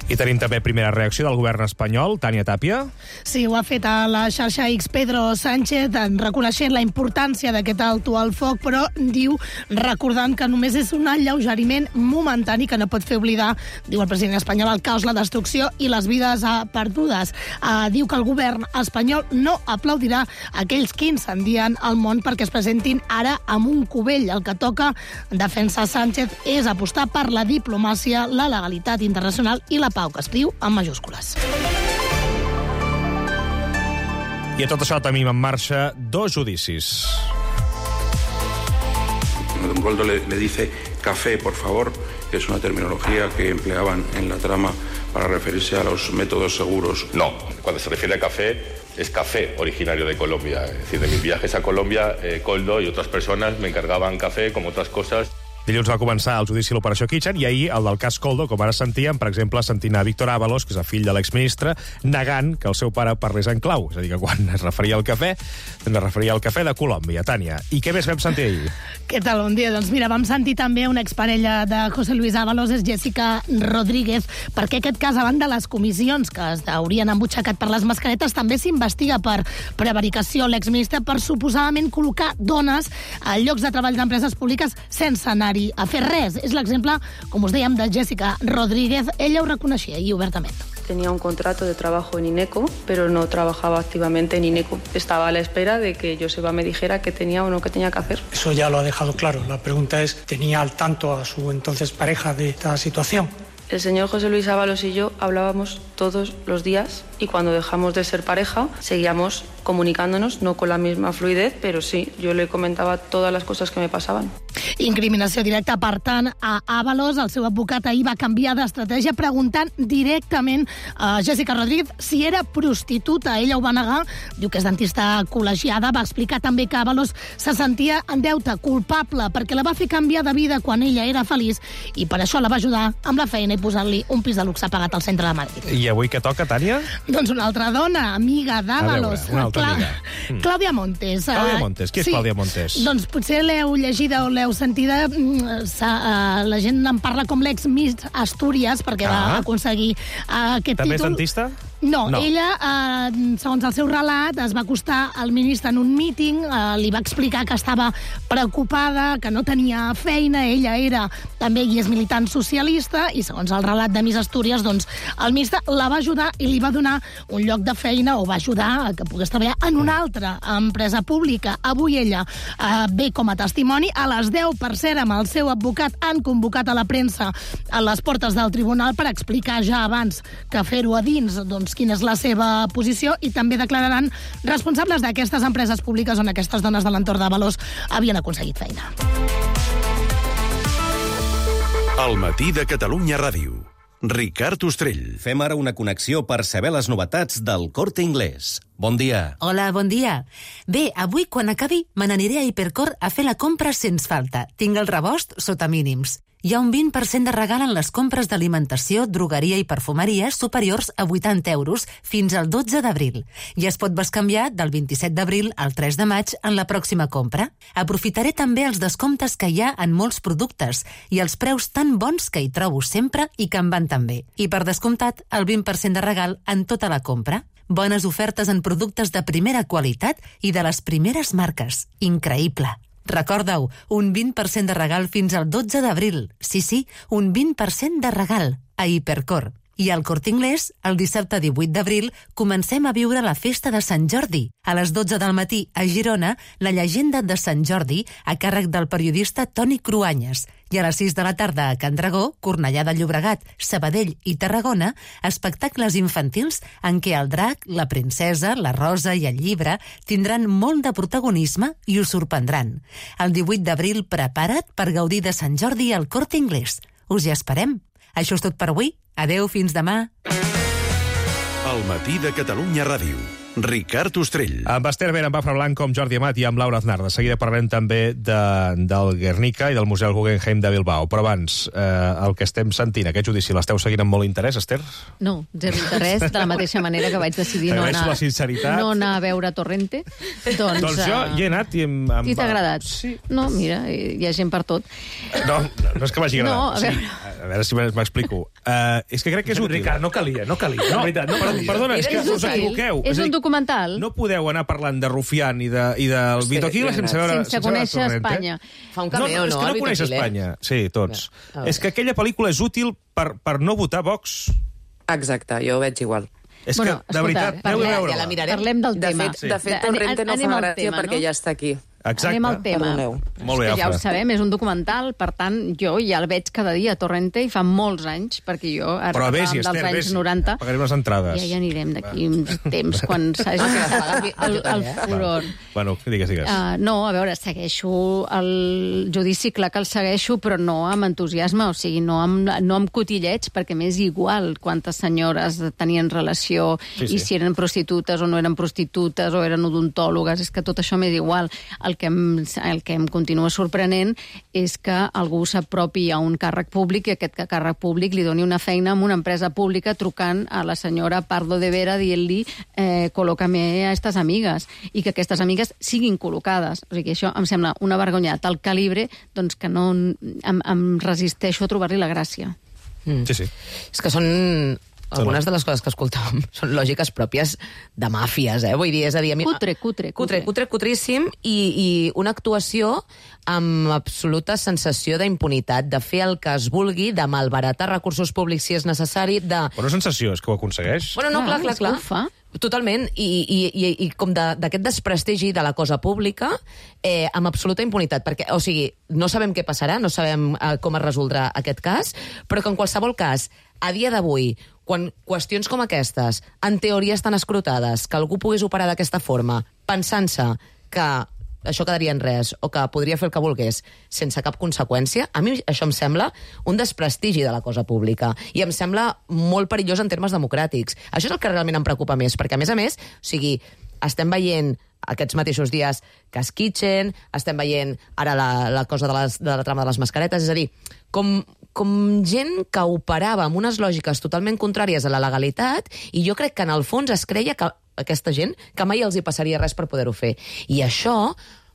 Speaker 1: I tenim també primera reacció del govern espanyol. Tània Tàpia.
Speaker 20: Sí, ho ha fet a la xarxa X Pedro Sánchez, reconeixent la importància d'aquest alto al foc, però diu, recordant que només és un alleugeriment momentani que no pot fer oblidar, diu el president espanyol, el caos, la destrucció i les vides perdudes. Uh, diu que el govern espanyol no aplaudirà aquells que incendien el món perquè es presentin ara amb un cubell. El que toca, defensa Sánchez, és apostar per la diplomàcia, la legalitat internacional i la pau, que escriu en majúscules.
Speaker 1: I a tot això tenim en marxa dos judicis.
Speaker 21: Don Goldo le, le dice café, por favor, que es una terminología que empleaban en la trama para referirse a los métodos seguros.
Speaker 22: No, cuando se refiere a café, es café originario de Colombia. Es decir, de mis viajes a Colombia, eh, Coldo y otras personas me encargaban café, como otras cosas.
Speaker 1: Dilluns va començar el judici a l'Operació Kitchen i ahir el del cas Coldo, com ara sentíem, per exemple, senint a Víctor Ábalos, que és el fill de l'exministre, negant que el seu pare parlés en clau. És a dir, que quan es referia al cafè, es referia al cafè de Colòmbia. Tània, i què més vam sentir ahir?
Speaker 20: Què tal? Bon dia. Doncs mira, vam sentir també una exparella de José Luis Ábalos, és Jessica Rodríguez, perquè aquest cas, a banda de les comissions que es haurien embutxacat per les mascaretes, també s'investiga per prevaricació l'exministre per suposadament col·locar dones a llocs de treball d'empreses públiques sense anar a fer res. És l'exemple, com us dèiem, de Jessica Rodríguez. Ella ho reconeixia i obertament.
Speaker 23: Tenía un contrato de trabajo en INECO, pero no trabajaba activamente en INECO. Estaba a la espera de que Joseba me dijera qué tenía o no qué tenía que hacer.
Speaker 24: Eso ya lo ha dejado claro. La pregunta es, ¿tenía al tanto a su entonces pareja de esta situación?
Speaker 23: El señor José Luis Ábalos y yo hablábamos todos los días y cuando dejamos de ser pareja seguíamos comunicándonos, no con la misma fluidez, pero sí, yo le comentaba todas las cosas que me pasaban.
Speaker 20: Incriminació directa, per tant, a Ábalos. El seu advocat ahir va canviar d'estratègia preguntant directament a Jessica Rodríguez si era prostituta. Ella ho va negar, diu que és dentista col·legiada. Va explicar també que Ábalos se sentia en deute, culpable, perquè la va fer canviar de vida quan ella era feliç i per això la va ajudar amb la feina i posant-li un pis de luxe pagat al centre de Madrid.
Speaker 1: I avui què toca, Tània?
Speaker 20: Doncs una altra dona, amiga d'Ábalos.
Speaker 1: Una altra
Speaker 20: Cla
Speaker 1: amiga. Mm.
Speaker 20: Clàudia Montes.
Speaker 1: Clàudia Montes. Qui és
Speaker 20: sí.
Speaker 1: Clàudia Montes?
Speaker 20: Doncs potser l'heu llegida o l'heu sentida. La gent en parla com l'ex-Miss Astúries, perquè ah. va aconseguir aquest
Speaker 1: També
Speaker 20: títol.
Speaker 1: També és dentista?
Speaker 20: No,
Speaker 1: no,
Speaker 20: ella, eh, segons el seu relat, es va acostar al ministre en un míting, eh, li va explicar que estava preocupada, que no tenia feina, ella era també i és militant socialista, i segons el relat de Miss Astúries, doncs, el ministre la va ajudar i li va donar un lloc de feina, o va ajudar a que pogués treballar en una altra empresa pública. Avui ella eh, ve com a testimoni. A les deu, per cert, amb el seu advocat, han convocat a la premsa a les portes del tribunal per explicar ja abans que fer-ho a dins, doncs, quina és la seva posició, i també declararan responsables d'aquestes empreses públiques on aquestes dones de l'entorn d'Ábalos havien aconseguit feina.
Speaker 3: El matí de Catalunya Ràdio. Ricard Ostrell.
Speaker 25: Fem ara una connexió per saber les novetats del Corte Inglés. Bon dia.
Speaker 11: Hola, bon dia. Bé, avui, quan acabi, me n'aniré a Hipercor a fer la compra sens falta. Tinc el rebost sota mínims. Hi ha un vint per cent de regal en les compres d'alimentació, drogueria i perfumeria superiors a vuitanta euros fins al dotze d'abril. I es pot bescanviar del vint-i-set d'abril al tres de maig en la pròxima compra. Aprofitaré també els descomptes que hi ha en molts productes i els preus tan bons que hi trobo sempre i que em van tan bé. I per descomptat, el vint per cent de regal en tota la compra. Bones ofertes en productes de primera qualitat i de les primeres marques. Increïble. Recorda-ho, un vint per cent de regal fins al dotze d'abril. Sí, sí, un vint per cent de regal a Hipercor. I al Corte Inglés, el dissabte divuit d'abril, comencem a viure la festa de Sant Jordi. A les dotze del matí, a Girona, la llegenda de Sant Jordi, a càrrec del periodista Toni Cruanyes. I a les sis de la tarda a Can Dragó, Cornellà de Llobregat, Sabadell i Tarragona, espectacles infantils en què el drac, la princesa, la rosa i el llibre tindran molt de protagonisme i us sorprendran. El divuit d'abril, prepara't per gaudir de Sant Jordi al Corte Inglés. Us hi esperem. Això és tot per avui. Adeu, fins demà.
Speaker 2: El matí de Catalunya Ràdio. Ricard Ostrell.
Speaker 1: Amb Esther Vera, amb Afra Blanco, amb Jordi Amat i amb Laura Aznar. De seguida parlem també de, del Guernica i del Museu Guggenheim de Bilbao. Però abans, eh, el que estem sentint, aquest judici, l'esteu seguint amb molt interès, Esther?
Speaker 13: No, zero interès, de la mateixa manera que vaig decidir no anar,
Speaker 1: la sinceritat.
Speaker 13: no anar a veure Torrente. Doncs,
Speaker 1: doncs jo
Speaker 13: uh,
Speaker 1: hi he anat i... Em, em
Speaker 13: I t'ha agradat?
Speaker 1: Sí.
Speaker 13: No, mira, hi ha gent per tot.
Speaker 1: No, no és que m'hagi agradat.
Speaker 13: No, a veure...
Speaker 1: Sí, a veure si m'explico. Uh, és que crec que és útil.
Speaker 17: Ricard, no calia, no calia.
Speaker 1: No,
Speaker 17: veritat, no
Speaker 1: calia. Perdona, és que
Speaker 13: És
Speaker 1: us
Speaker 13: útil.
Speaker 1: equivoqueu.
Speaker 13: És un documental.
Speaker 1: No podeu anar parlant de Rufián i, de, i del
Speaker 19: Sí,
Speaker 1: Vito Quiles sense veure...
Speaker 13: Sense conèixer Espanya.
Speaker 16: Fa un
Speaker 1: No,
Speaker 16: cameo,
Speaker 1: no, és
Speaker 16: no?
Speaker 1: que
Speaker 16: el
Speaker 1: no
Speaker 16: Vito
Speaker 1: coneix
Speaker 16: Quiles?
Speaker 1: Espanya. Sí, tots.
Speaker 16: A veure.
Speaker 1: És que aquella pel·lícula és útil per, per no votar Vox.
Speaker 19: Exacte, jo ho veig igual.
Speaker 1: És
Speaker 13: Bueno,
Speaker 1: que, de veritat,
Speaker 13: escolta,
Speaker 1: aneu a
Speaker 13: parlem-
Speaker 1: veure-la.
Speaker 16: ja la mirarem.
Speaker 13: Parlem del
Speaker 19: De
Speaker 13: tema.
Speaker 19: fet, de fet
Speaker 13: De-
Speaker 19: Torrente no
Speaker 13: anem
Speaker 19: fa
Speaker 13: al
Speaker 19: gràcia
Speaker 13: tema,
Speaker 19: perquè
Speaker 13: no?
Speaker 19: ja està aquí.
Speaker 1: Exacte.
Speaker 13: Anem al tema.
Speaker 19: Perdoneu.
Speaker 1: Molt bé,
Speaker 13: És que ja ho
Speaker 1: Afra.
Speaker 13: sabem, és un documental, per tant, jo ja el veig cada dia a Torrente i fa molts anys, perquè jo ara
Speaker 1: Però
Speaker 13: parlàvem
Speaker 1: vés-hi,
Speaker 13: dels
Speaker 1: Esther,
Speaker 13: anys
Speaker 1: vés-hi.
Speaker 13: noranta.
Speaker 1: Pagarem les entrades.
Speaker 13: Ja hi anirem d'aquí uns temps, quan s'hagi
Speaker 16: Ah, que les
Speaker 13: passat
Speaker 16: pagues
Speaker 13: el,
Speaker 16: jo també,
Speaker 13: el
Speaker 16: eh?
Speaker 13: furor.
Speaker 1: Bueno, digues, digues.
Speaker 13: Uh, no, a veure, segueixo el judici, clar que el segueixo, però no amb entusiasme, o sigui, no amb, no amb cotilleig, perquè m'és igual quantes senyores tenien relació
Speaker 1: Sí, sí.
Speaker 13: i si eren prostitutes o no eren prostitutes o eren odontòlogues, és que tot això m'és igual. El que em, el que em continua sorprenent és que algú s'apropi a un càrrec públic i aquest càrrec públic li doni una feina en una empresa pública trucant a la senyora Pardo de Vera dient-li eh, col·loca-me a aquestes amigues i que aquestes amigues siguin col·locades. O sigui, això em sembla una vergonya de tal calibre doncs que no em, em resisteixo a trobar-li la gràcia.
Speaker 16: Mm.
Speaker 1: Sí, sí.
Speaker 16: És que són... Algunes de les coses que escoltàvem són lògiques pròpies de màfies, eh? Vull dir, és a dir... A mi...
Speaker 13: Cutre, cutre,
Speaker 16: Cutre, cutre, cutríssim, i, i una actuació amb absoluta sensació d'impunitat, de fer el que es vulgui, de malbaratar recursos públics si és necessari, de...
Speaker 1: Però no sensació, és que ho aconsegueix.
Speaker 16: Bueno, no, clar, clar,
Speaker 13: és que
Speaker 16: clar.
Speaker 13: ho fa.
Speaker 16: Totalment, i, i, i, i com de- d'aquest desprestigi de la cosa pública eh, amb absoluta impunitat, perquè, o sigui, no sabem què passarà, no sabem eh, com es resoldrà aquest cas, però que en qualsevol cas, a dia d'avui, quan qüestions com aquestes, en teoria estan escrutades, que algú pogués operar d'aquesta forma, pensant-se que això quedaria en res, o que podria fer el que volgués sense cap conseqüència, a mi això em sembla un desprestigi de la cosa pública, i em sembla molt perillós en termes democràtics. Això és el que realment em preocupa més, perquè, a més a més, o sigui, estem veient aquests mateixos dies Cas Kitchen, estem veient ara la, la cosa de, les, de la trama de les mascaretes, és a dir, com, com gent que operava amb unes lògiques totalment contràries a la legalitat, i jo crec que en el fons es creia que aquesta gent, que mai els hi passaria res per poder-ho fer. I això,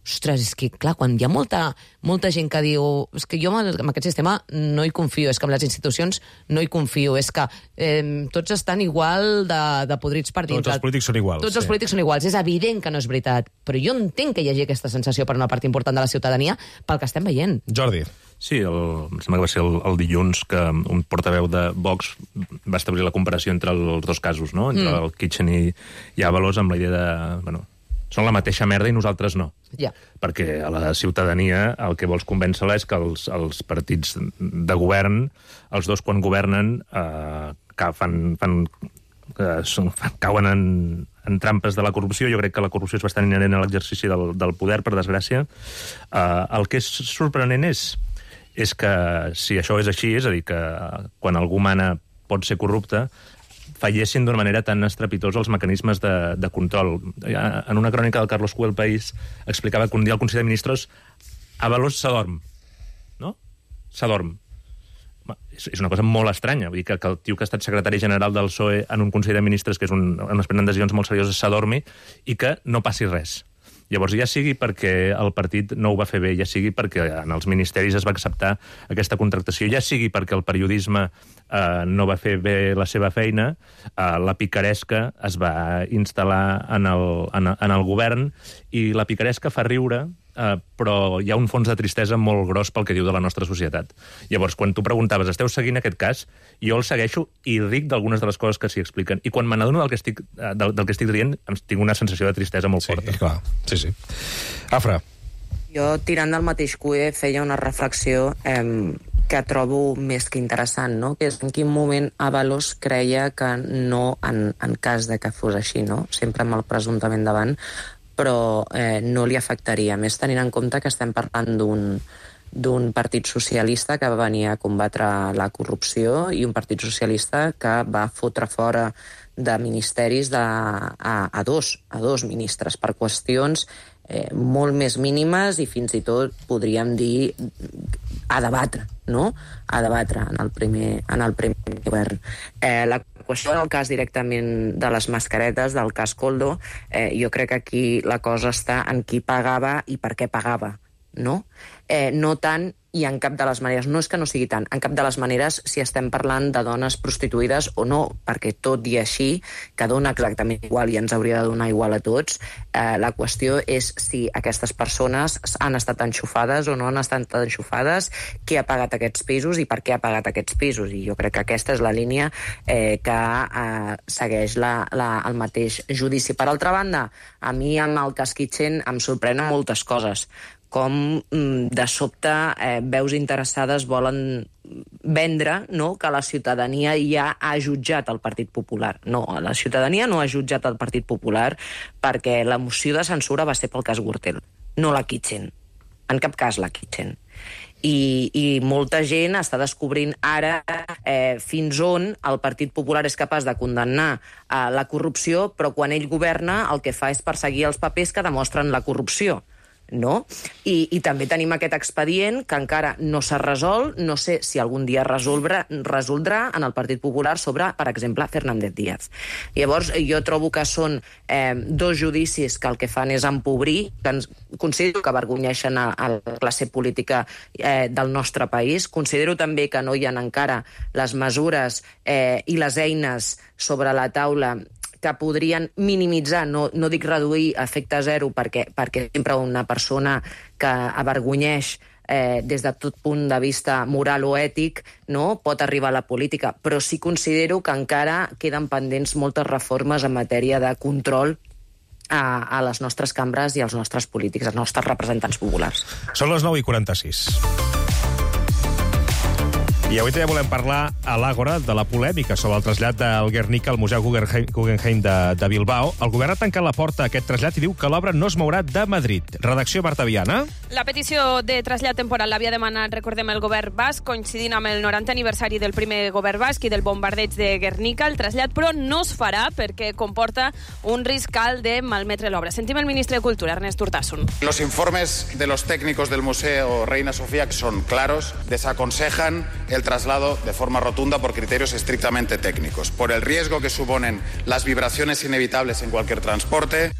Speaker 16: ostres, és que, clar, quan hi ha molta, molta gent que diu és que jo amb, amb aquest sistema no hi confio, és que amb les institucions no hi confio, és que eh, tots estan igual de, de podrits per dintre.
Speaker 1: Tots els polítics són iguals.
Speaker 16: Tots
Speaker 1: sí.
Speaker 16: els polítics són iguals. És evident que no és veritat, però jo entenc que hi hagi aquesta sensació per una part important de la ciutadania pel que estem veient.
Speaker 1: Jordi.
Speaker 17: Sí, el, em sembla que va ser el, el dilluns que un portaveu de Vox va establir la comparació entre els dos casos, no? Entre
Speaker 16: Mm.
Speaker 17: el Kitchen i, i Ábalos, amb la idea de... Bueno, són la mateixa merda i nosaltres no.
Speaker 16: Ja.
Speaker 17: Perquè a la ciutadania el que vols convèncer-la és que els, els partits de govern, els dos quan governen, eh, que fan, fan, eh, són, cauen en, en trampes de la corrupció. Jo crec que la corrupció és bastant inherent a l'exercici del, del poder, per desgràcia. Eh, el que és sorprenent és, és que si això és així, és a dir, que quan algú mana pot ser corrupte, fallessin d'una manera tan estrepitosa els mecanismes de, de control. En una crònica del Carlos Cuel País explicava que un dia el Consell de Ministres Ábalos s'adorm, no? S'adorm. És, és una cosa molt estranya, vull dir que, que el tio que ha estat secretari general del P S O E en un Consell de Ministres, que és un, on es prenen decisions molt serioses, s'adormi i que no passi res. Llavors, ja sigui perquè el partit no ho va fer bé, ja sigui perquè en els ministeris es va acceptar aquesta contractació, ja sigui perquè el periodisme eh, no va fer bé la seva feina, eh, la picaresca es va instal·lar en el, en, en el govern, i la picaresca fa riure eh, però hi ha un fons de tristesa molt gros pel que diu de la nostra societat. Llavors, quan tu preguntaves, esteu seguint aquest cas? Jo el segueixo i ric d'algunes de les coses que s'hi expliquen. I quan me n'adono del, que estic, del, del que estic dient, tinc una sensació de tristesa molt
Speaker 1: sí,
Speaker 17: forta.
Speaker 1: Clar. Sí, sí. Afra.
Speaker 19: Jo, tirant del mateix cué, feia una reflexió eh, que trobo més que interessant, no? Que és en quin moment Ábalos creia que no, en, en cas de que fos així, no? Sempre amb el presumptament davant, però eh, no li afectaria. Més tenint en compte que estem parlant d'un d'un partit socialista que va venir a combatre la corrupció i un partit socialista que va fotre fora de ministeris de, a, a, dos, a dos ministres per qüestions eh, molt més mínimes i fins i tot podríem dir a debatre, no? A debatre en el primer, en el primer govern. Eh, la qüestió del cas directament de les mascaretes, del cas Koldo, eh, jo crec que aquí la cosa està en qui pagava i per què pagava, no? Eh, no tant, i en cap de les maneres, no és que no sigui tant, en cap de les maneres si estem parlant de dones prostituïdes o no, perquè tot i així, que dona exactament igual i ens hauria de donar igual a tots, eh, la qüestió és si aquestes persones han estat enxufades o no han estat enxufades, qui ha pagat aquests pisos i per què ha pagat aquests pisos, i jo crec que aquesta és la línia eh, que eh, segueix la, la, el mateix judici. Per altra banda, a mi amb el cas Kitchen em sorprenen moltes coses, com de sobte eh, veus interessades volen vendre, no?, que la ciutadania ja ha jutjat el Partit Popular. No, la ciutadania no ha jutjat el Partit Popular perquè la moció de censura va ser pel cas Gürtel, no la Kitchen. En cap cas la Kitchen. I, i molta gent està descobrint ara eh, fins on el Partit Popular és capaç de condemnar eh, la corrupció, però quan ell governa el que fa és perseguir els papers que demostren la corrupció. No? I, i també tenim aquest expedient que encara no s'ha resolt, no sé si algun dia resoldrà, resoldrà en el Partit Popular sobre, per exemple, Fernández Díaz. Llavors, jo trobo que són eh, dos judicis que el que fan és empobrir, que ens, considero que avergonyeixen a, a la classe política eh, del nostre país. Considero també que no hi ha encara les mesures eh, i les eines sobre la taula que podrien minimitzar, no, no dic reduir a efecte zero, perquè, perquè sempre una persona que avergonyeix eh, des de tot punt de vista moral o ètic, no, pot arribar a la política, però sí considero que encara queden pendents moltes reformes en matèria de control a, a les nostres cambres i als nostres polítics, als nostres representants populars.
Speaker 1: Són les nou i quaranta-sis. I avui també volem parlar a l'Àgora de la polèmica sobre el trasllat del Guernica al Museu Guggenheim de, de Bilbao. El govern ha tancat la porta a aquest trasllat i diu que l'obra no es mourà de Madrid. Redacció Marta Viana.
Speaker 4: La petició de trasllat temporal l'havia demanat, recordem, el govern basc, coincidint amb el norantè aniversari del primer govern basc i del bombardeig de Guernica. El trasllat, però, no es farà perquè comporta un risc alt de malmetre l'obra. Sentim el ministre de Cultura, Ernest Urtasun.
Speaker 5: Los informes de los técnicos del Museo Reina Sofía son claros, desaconsejan el traslado de forma rotunda por criterios estrictamente técnicos, por el riesgo que suponen las vibraciones inevitables en cualquier transporte.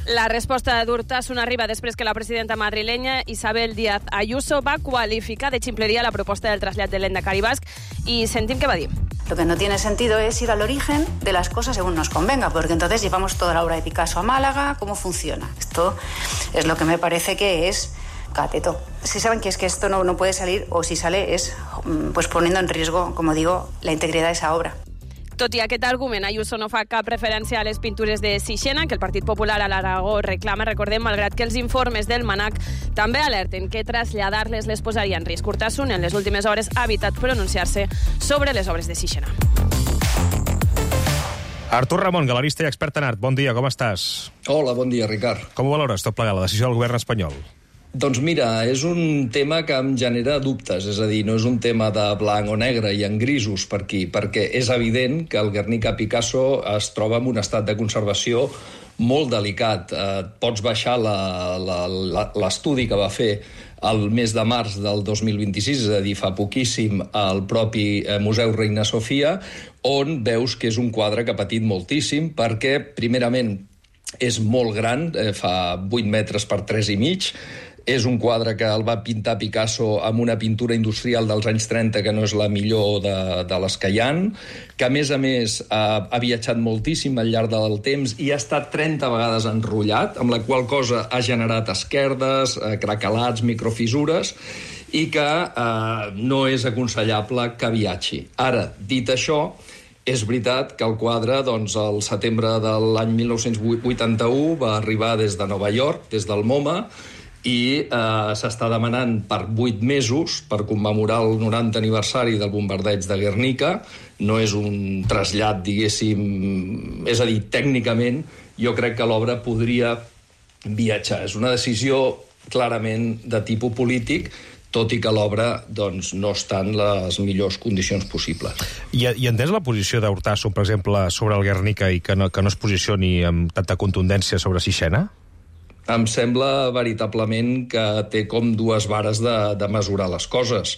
Speaker 4: La resposta d'Urtasun arriba després que la presidenta madrilenya Isabel Díaz Ayuso va qualificar de ximpleria la proposta del trasllat de l'Endacari basc i sentim què va dir.
Speaker 6: Lo que no tiene sentido es ir al origen de las cosas según nos convenga, porque entonces llevamos toda la obra de Picasso a Málaga. ¿Cómo funciona? Esto es lo que me parece que es cateto. Si saben que es que esto no, no puede salir, o si sale es pues poniendo en riesgo, como digo, la integridad de esa obra.
Speaker 4: Tot i aquest argument, Ayuso no fa cap referència a les pintures de Sixena, que el Partit Popular a l'Aragó reclama, recordem, malgrat que els informes del MANAC també alerten que traslladar-les les posaria en risc. Urtasun, en les últimes hores, ha evitat pronunciar-se sobre les obres de Sixena.
Speaker 1: Artur Ramon, galerista i expert en art. Bon dia, com estàs?
Speaker 7: Hola, bon dia, Ricard.
Speaker 1: Com ho valores, tot plegat, la decisió del govern espanyol?
Speaker 7: Doncs mira, és un tema que em genera dubtes, és a dir, no és un tema de blanc o negre, hi ha grisos per aquí, perquè és evident que el Guernica Picasso es troba en un estat de conservació molt delicat. Eh, pots baixar l'estudi que va fer el mes de març del dos mil vint-i-sis, és a dir, fa poquíssim, al propi Museu Reina Sofia, on veus que és un quadre que ha patit moltíssim, perquè, primerament, és molt gran, eh, fa vuit metres per tres i mig, És un quadre que el va pintar Picasso amb una pintura industrial dels anys trenta que no és la millor de, de les que hi ha, que a més a més ha, ha viatjat moltíssim al llarg del temps i ha estat trenta vegades enrotllat, amb la qual cosa ha generat esquerdes, eh, craquelats, microfissures, i que eh, no és aconsellable que viatgi. Ara, dit això, és veritat que el quadre, doncs, al setembre de l'any mil nou-cents vuitanta-u va arribar des de Nova York, des del MoMA, i eh, s'està demanant per vuit mesos per commemorar el noranta aniversari del bombardeig de Guernica. No és un trasllat, diguéssim... És a dir, tècnicament, jo crec que l'obra podria viatjar. És una decisió clarament de tipus polític, tot i que l'obra doncs, no està en les millors condicions possibles.
Speaker 1: I, i entens la posició d'Hurtasun, per exemple, sobre el Guernica i que no, que no es posicioni amb tanta contundència sobre Sixena?
Speaker 7: Em sembla veritablement que té com dues vares de, de mesurar les coses,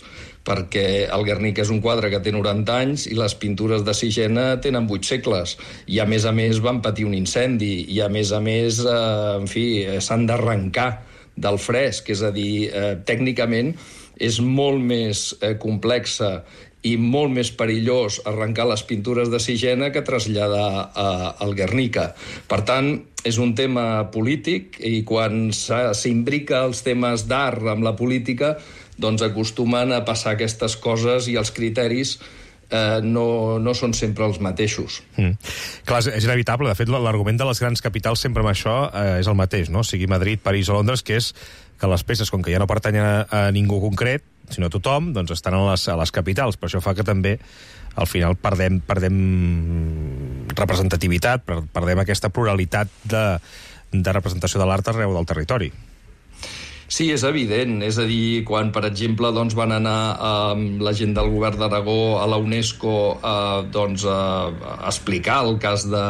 Speaker 7: perquè el Guernica és un quadre que té noranta anys i les pintures de Sixena tenen vuit segles, i a més a més van patir un incendi, i a més a més, eh, en fi, s'han d'arrencar del fresc, és a dir, eh, tècnicament és molt més eh, complexa i molt més perillós arrencar les pintures de Sixena que traslladar eh, el Guernica. Per tant, és un tema polític i quan s'imbrica els temes d'art amb la política, doncs acostumen a passar aquestes coses i els criteris eh, no, no són sempre els mateixos.
Speaker 1: Mm. Clar, és inevitable. De fet, l'argument de les grans capitals sempre amb això eh, és el mateix, no? Sigui Madrid, París o Londres, que és que les peces, com que ja no pertanyen a, a ningú concret, sinó a tothom, doncs estan a les, a les capitals. Per això fa que també, al final, perdem, perdem representativitat, perdem aquesta pluralitat de, de representació de l'art arreu del territori.
Speaker 7: Sí, és evident. És a dir, quan, per exemple, doncs, van anar eh, la gent del govern d'Aragó a la UNESCO eh, doncs, eh, a explicar el cas de,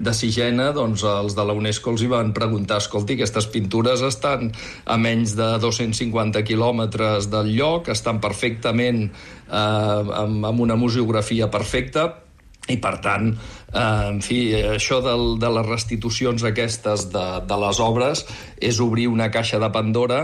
Speaker 7: de Sixena, doncs els de la UNESCO els hi van preguntar: escolti, aquestes pintures estan a menys de dos-cents cinquanta quilòmetres del lloc, estan perfectament eh, amb, amb una museografia perfecta, i per tant, eh, en fi, això del, de les restitucions aquestes de, de les obres és obrir una caixa de Pandora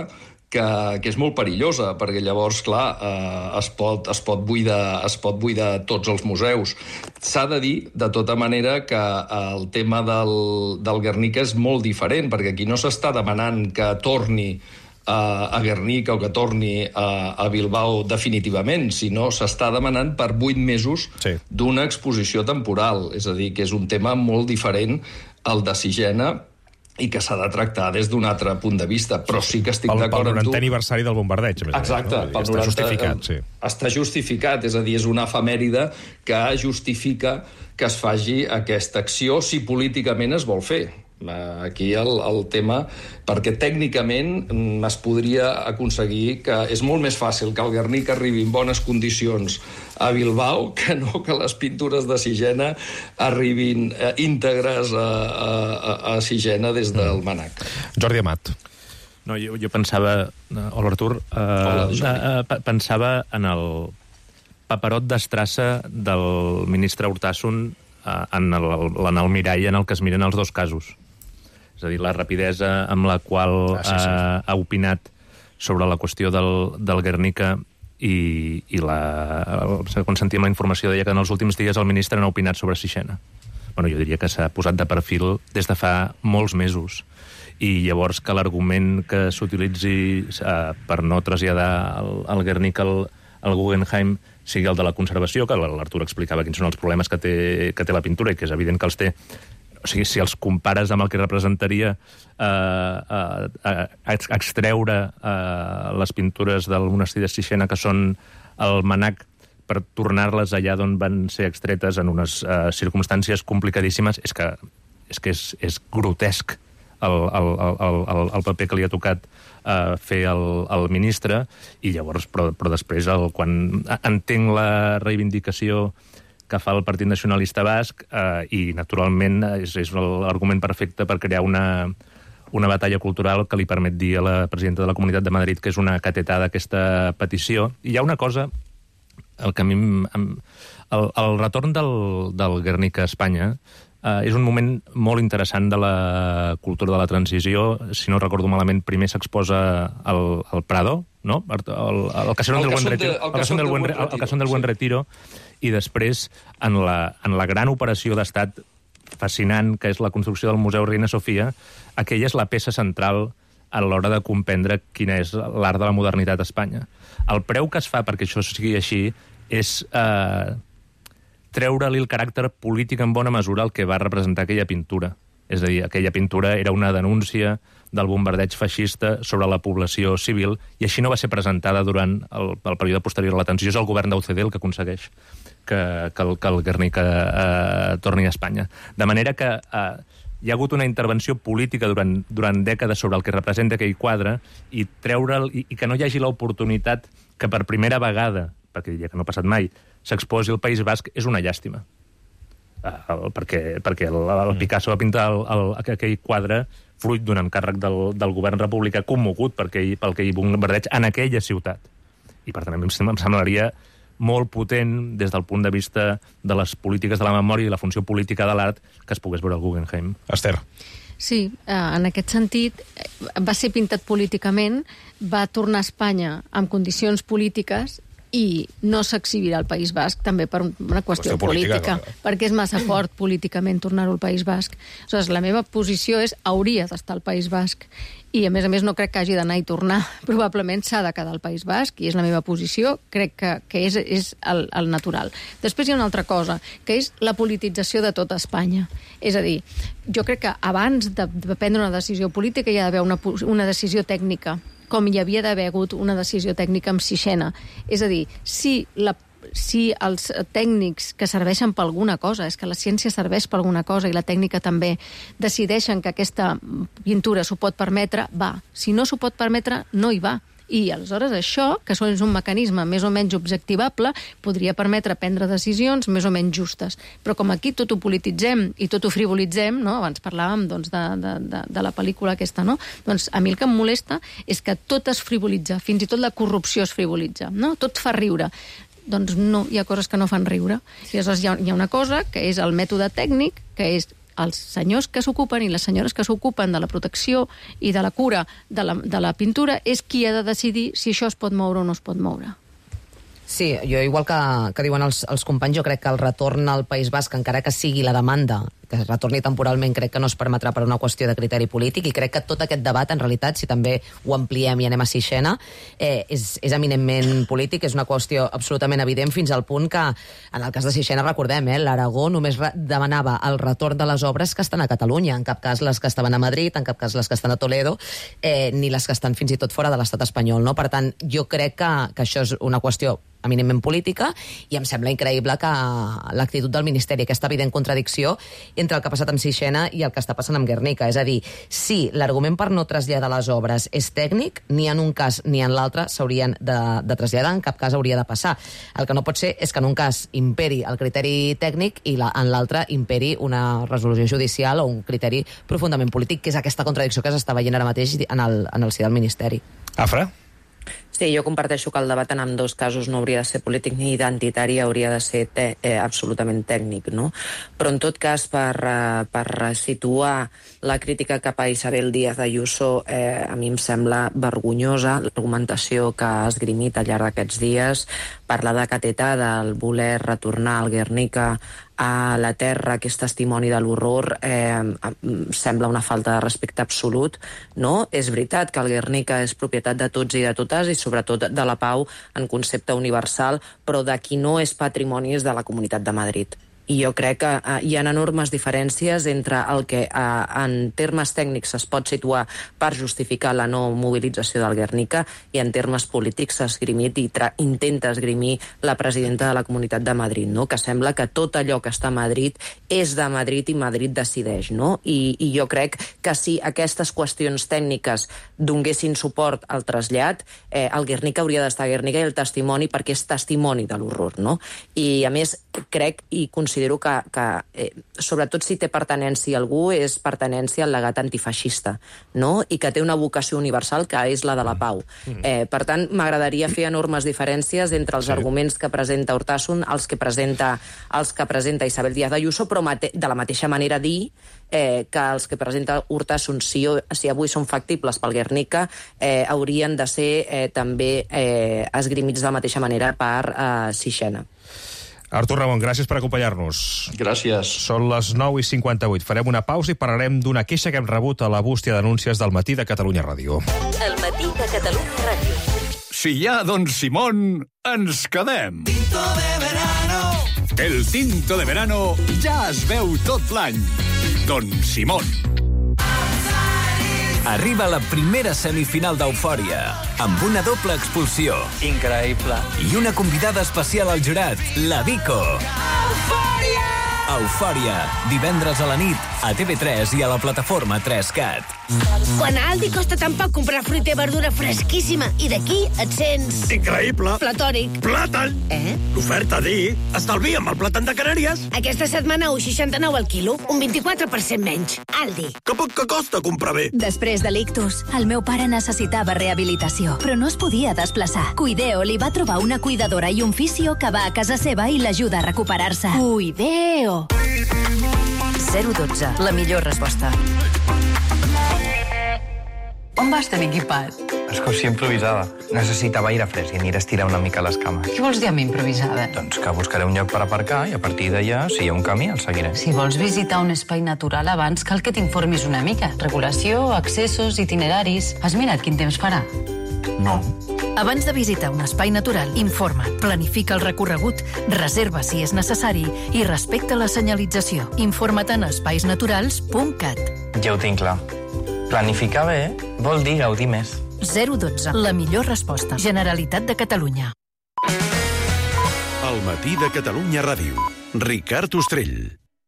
Speaker 7: que, que és molt perillosa, perquè llavors, clar, eh, es, pot, es, pot buidar, es pot buidar tots els museus. S'ha de dir, de tota manera, que el tema del, del Guernica és molt diferent, perquè aquí no s'està demanant que torni a Guernica o que torni a, a Bilbao definitivament, sinó s'està demanant per vuit mesos sí. d'una exposició temporal. És a dir, que és un tema molt diferent al de Sixena i que s'ha de tractar des d'un altre punt de vista, però sí que estic d'acord amb tu.
Speaker 1: Pel norantè aniversari del bombardeig.
Speaker 7: Exacte.
Speaker 1: No? Està noranta... justificat, sí.
Speaker 7: Està justificat, és a dir, és una efemèride que justifica que es faci aquesta acció si políticament es vol fer. Aquí el, el tema, perquè tècnicament es podria aconseguir que és molt més fàcil que el Guernica arribi en bones condicions a Bilbao que no que les pintures de Sixena arribin eh, íntegres a, a, a Sixena des del Manac.
Speaker 1: Jordi Amat.
Speaker 17: No, jo, jo pensava, hola Artur, eh, hola, eh, pensava en el paperot d'estrassa del ministre Hurtasun eh, en, el, en el mirall en el que es miren els dos casos. És a dir, la rapidesa amb la qual ah, sí, sí. Ha, ha opinat sobre la qüestió del, del Guernica i, i la, quan sentíem la informació deia que en els últims dies el ministre n'ha opinat sobre Sixena. Bueno, jo diria que s'ha posat de perfil des de fa molts mesos. I llavors que l'argument que s'utilitzi eh, per no traslladar el, el Guernica al, al Guggenheim sigui el de la conservació, que l'Artur explicava quins són els problemes que té, que té la pintura i que és evident que els té. O sigui, si els compares amb el que representaria eh, eh, extreure eh, les pintures del monestir de Sixena, que són el Manac, per tornar-les allà d'on van ser extretes en unes eh, circumstàncies complicadíssimes, és que és, que és, és grotesc el, el, el, el, el paper que li ha tocat eh, fer el, el ministre, i llavors, però, però després, el, quan entenc la reivindicació que fa el Partit Nacionalista Basc, eh, i naturalment és, és l'argument perfecte per crear una, una batalla cultural que li permet dir a la presidenta de la Comunitat de Madrid que és una catetada aquesta petició. I hi ha una cosa, el que a mi... El, el retorn del, del Guernica a Espanya Uh, és un moment molt interessant de la cultura de la transició. Si no recordo malament, primer s'exposa el, el Prado, no? El, el, el Casón del Buen Retiro, el Casón del Buen Retiro, el Casón del Buen Retiro, i després, en la, en la gran operació d'estat fascinant, que és la construcció del Museu Reina Sofia, aquella és la peça central a l'hora de comprendre quina és l'art de la modernitat a Espanya. El preu que es fa perquè això sigui així és eh, treure-li el caràcter polític en bona mesura al que va representar aquella pintura. És a dir, aquella pintura era una denúncia del bombardeig feixista sobre la població civil i així no va ser presentada durant el, el període posterior a la transició. És el govern d'U C D el que aconsegueix que, que, el, que el Guernica eh, torni a Espanya. De manera que eh, hi ha hagut una intervenció política durant, durant dècades sobre el que representa aquell quadre i treure'l i, i que no hi hagi l'oportunitat que per primera vegada, perquè diria que no ha passat mai, s'exposi el País Basc, és una llàstima. Uh, perquè, perquè el, el Picasso va pintar el, el, aquell quadre fruit d'un encàrrec del, del govern republicà commogut per aquell, pel que hi bombardeig en aquella ciutat. I per tant, a mi em semblaria molt potent des del punt de vista de les polítiques de la memòria i la funció política de l'art que es pogués veure al Guggenheim.
Speaker 1: Esther.
Speaker 13: Sí, en aquest sentit, va ser pintat políticament, va tornar a Espanya amb condicions polítiques i no s'exhibirà al País Basc també per una qüestió, qüestió política, política no? Perquè és massa fort políticament tornar-ho al País Basc. Aleshores, la meva posició és hauria d'estar al País Basc i, a més a més, no crec que hagi d'anar i tornar. Probablement s'ha de quedar al País Basc i és la meva posició, crec que, que és, és el, el natural. Després hi ha una altra cosa, que és la politització de tota Espanya. És a dir, jo crec que abans de, de prendre una decisió política hi ha d'haver una, una decisió tècnica, com hi havia d'haver hagut una decisió tècnica amb Sixena. És a dir, si, la, si els tècnics que serveixen per alguna cosa, és que la ciència serveix per alguna cosa i la tècnica també, decideixen que aquesta pintura s'ho pot permetre, va. Si no s'ho pot permetre, no hi va. I aleshores això, que és un mecanisme més o menys objectivable, podria permetre prendre decisions més o menys justes. Però com aquí tot ho polititzem i tot ho frivolitzem, no? Abans parlàvem doncs, de, de, de, de la pel·lícula aquesta, no? Doncs a mi el que em molesta és que tot es frivolitza, fins i tot la corrupció es frivolitza, no? Tot fa riure. Doncs no, hi ha coses que no fan riure. I aleshores hi ha, hi ha una cosa que és el mètode tècnic, que és els senyors que s'ocupen i les senyores que s'ocupen de la protecció i de la cura de la, de la pintura és qui ha de decidir si això es pot moure o no es pot moure.
Speaker 16: Sí, jo igual que, que diuen els, els companys, jo crec que el retorn al País Basc, encara que sigui la demanda, que es retorni temporalment, crec que no es permetrà per una qüestió de criteri polític, i crec que tot aquest debat, en realitat, si també ho ampliem i anem a Sixena, eh, és, és eminentment polític, és una qüestió absolutament evident, fins al punt que, en el cas de Sixena, recordem, eh, l'Aragó només re demanava el retorn de les obres que estan a Catalunya, en cap cas les que estaven a Madrid, en cap cas les que estan a Toledo, eh, ni les que estan fins i tot fora de l'estat espanyol, no? Per tant, jo crec que, que això és una qüestió eminentment política, i em sembla increïble que l'actitud del Ministeri, aquesta evident contradicció entre el que ha passat amb Sixena i el que està passant amb Guernica. És a dir, si l'argument per no traslladar les obres és tècnic, ni en un cas ni en l'altre s'haurien de, de traslladar, en cap cas hauria de passar. El que no pot ser és que en un cas imperi el criteri tècnic i la, en l'altre imperi una resolució judicial o un criteri profundament polític, que és aquesta contradicció que s'està veient ara mateix en el, en el si del Ministeri.
Speaker 1: Afra?
Speaker 19: Sí, jo comparteixo que el debat en ambdós casos no hauria de ser polític ni identitari, hauria de ser te eh, absolutament tècnic, no? Però en tot cas, per, eh, per situar la crítica cap a Isabel Díaz Ayuso, eh, a mi em sembla vergonyosa l'argumentació que ha esgrimit al llarg d'aquests dies, parlar de cateta, del voler retornar al Guernica a la terra, que és testimoni de l'horror, eh, sembla una falta de respecte absolut, no? És veritat que el Guernica és propietat de tots i de totes, i sobretot de la pau en concepte universal, però de qui no és patrimoni és de la Comunitat de Madrid. I jo crec que uh, hi ha enormes diferències entre el que uh, en termes tècnics es pot situar per justificar la no mobilització del Guernica i en termes polítics s'ha esgrimit i intenta esgrimir la presidenta de la Comunitat de Madrid, no? Que sembla que tot allò que està a Madrid és de Madrid i Madrid decideix, no? I, i jo crec que si aquestes qüestions tècniques donguessin suport al trasllat, eh, el Guernica hauria d'estar a Guernica i el testimoni perquè és testimoni de l'horror, no? I a més crec i considero considero que, que eh, sobretot si té pertanència a algú, és pertanència al legat antifeixista, no? I que té una vocació universal que és la de la pau. Eh, per tant, m'agradaria fer enormes diferències entre els sí. arguments que presenta Urtasun, els que presenta, els que presenta Isabel Díaz Ayuso, però mate, de la mateixa manera dir eh, que els que presenta Urtasun, si, si avui són factibles pel Guernica, eh, haurien de ser eh, també eh, esgrimits de la mateixa manera per eh, Sixena.
Speaker 1: Artur Ramon, gràcies per acompanyar-nos.
Speaker 7: Gràcies.
Speaker 1: Són les nou i cinquanta-vuit. Farem una pausa i parlarem d'una queixa que hem rebut a la bústia d'anúncies del Matí de Catalunya Ràdio.
Speaker 8: El Matí de Catalunya Ràdio.
Speaker 9: Si hi ha Don Simón, ens quedem.
Speaker 10: Tinto de verano.
Speaker 9: El tinto de verano ja es veu tot l'any. Don Simón.
Speaker 12: Arriba la primera semifinal d'Eufòria, amb una doble expulsió.
Speaker 15: Increïble.
Speaker 12: I una convidada especial al jurat, la Vico.
Speaker 10: Eufòria!
Speaker 12: Eufòria, divendres a la nit, a T V tres i a la plataforma tres cat.
Speaker 26: Quan a Aldi costa tan poc comprar fruita i verdura fresquíssima i d'aquí et sents...
Speaker 9: Increïble.
Speaker 26: Platònic.
Speaker 9: Plàtan.
Speaker 26: Eh?
Speaker 9: L'oferta dir, estalvia'm el plàtan de Canàries.
Speaker 26: Aquesta setmana un coma seixanta-nou al quilo, un vint-i-quatre per cent menys. Aldi.
Speaker 9: Que poc que costa comprar bé.
Speaker 27: Després de l'ictus, el meu pare necessitava rehabilitació, però no es podia desplaçar. Cuideo li va trobar una cuidadora i un fisio que va a casa seva i l'ajuda a recuperar-se. Cuideo.
Speaker 8: zero dotze, la millor resposta.
Speaker 28: On vas tan equipat?
Speaker 15: Excursió improvisada. Necessitava aire fresc i aniré a estirar una mica les cames.
Speaker 28: Què vols dir amb improvisada?
Speaker 15: Doncs que buscaré un lloc per aparcar i a partir d'allà, si hi ha un camí, el seguiré.
Speaker 28: Si vols visitar un espai natural abans, cal que t'informis una mica. Regulació, accessos, itineraris... Has mirat quin temps farà?
Speaker 15: No.
Speaker 8: Abans de visitar un espai natural, informa't, planifica el recorregut, reserva si és necessari i respecta la senyalització. Informa't en espaisnaturals punt cat.
Speaker 15: Ja ho tinc clar. Planificar bé vol dir gaudir més.
Speaker 8: zero dotze, la millor resposta. Generalitat de Catalunya.
Speaker 2: El Matí de Catalunya Ràdio. Ricard Ostrell.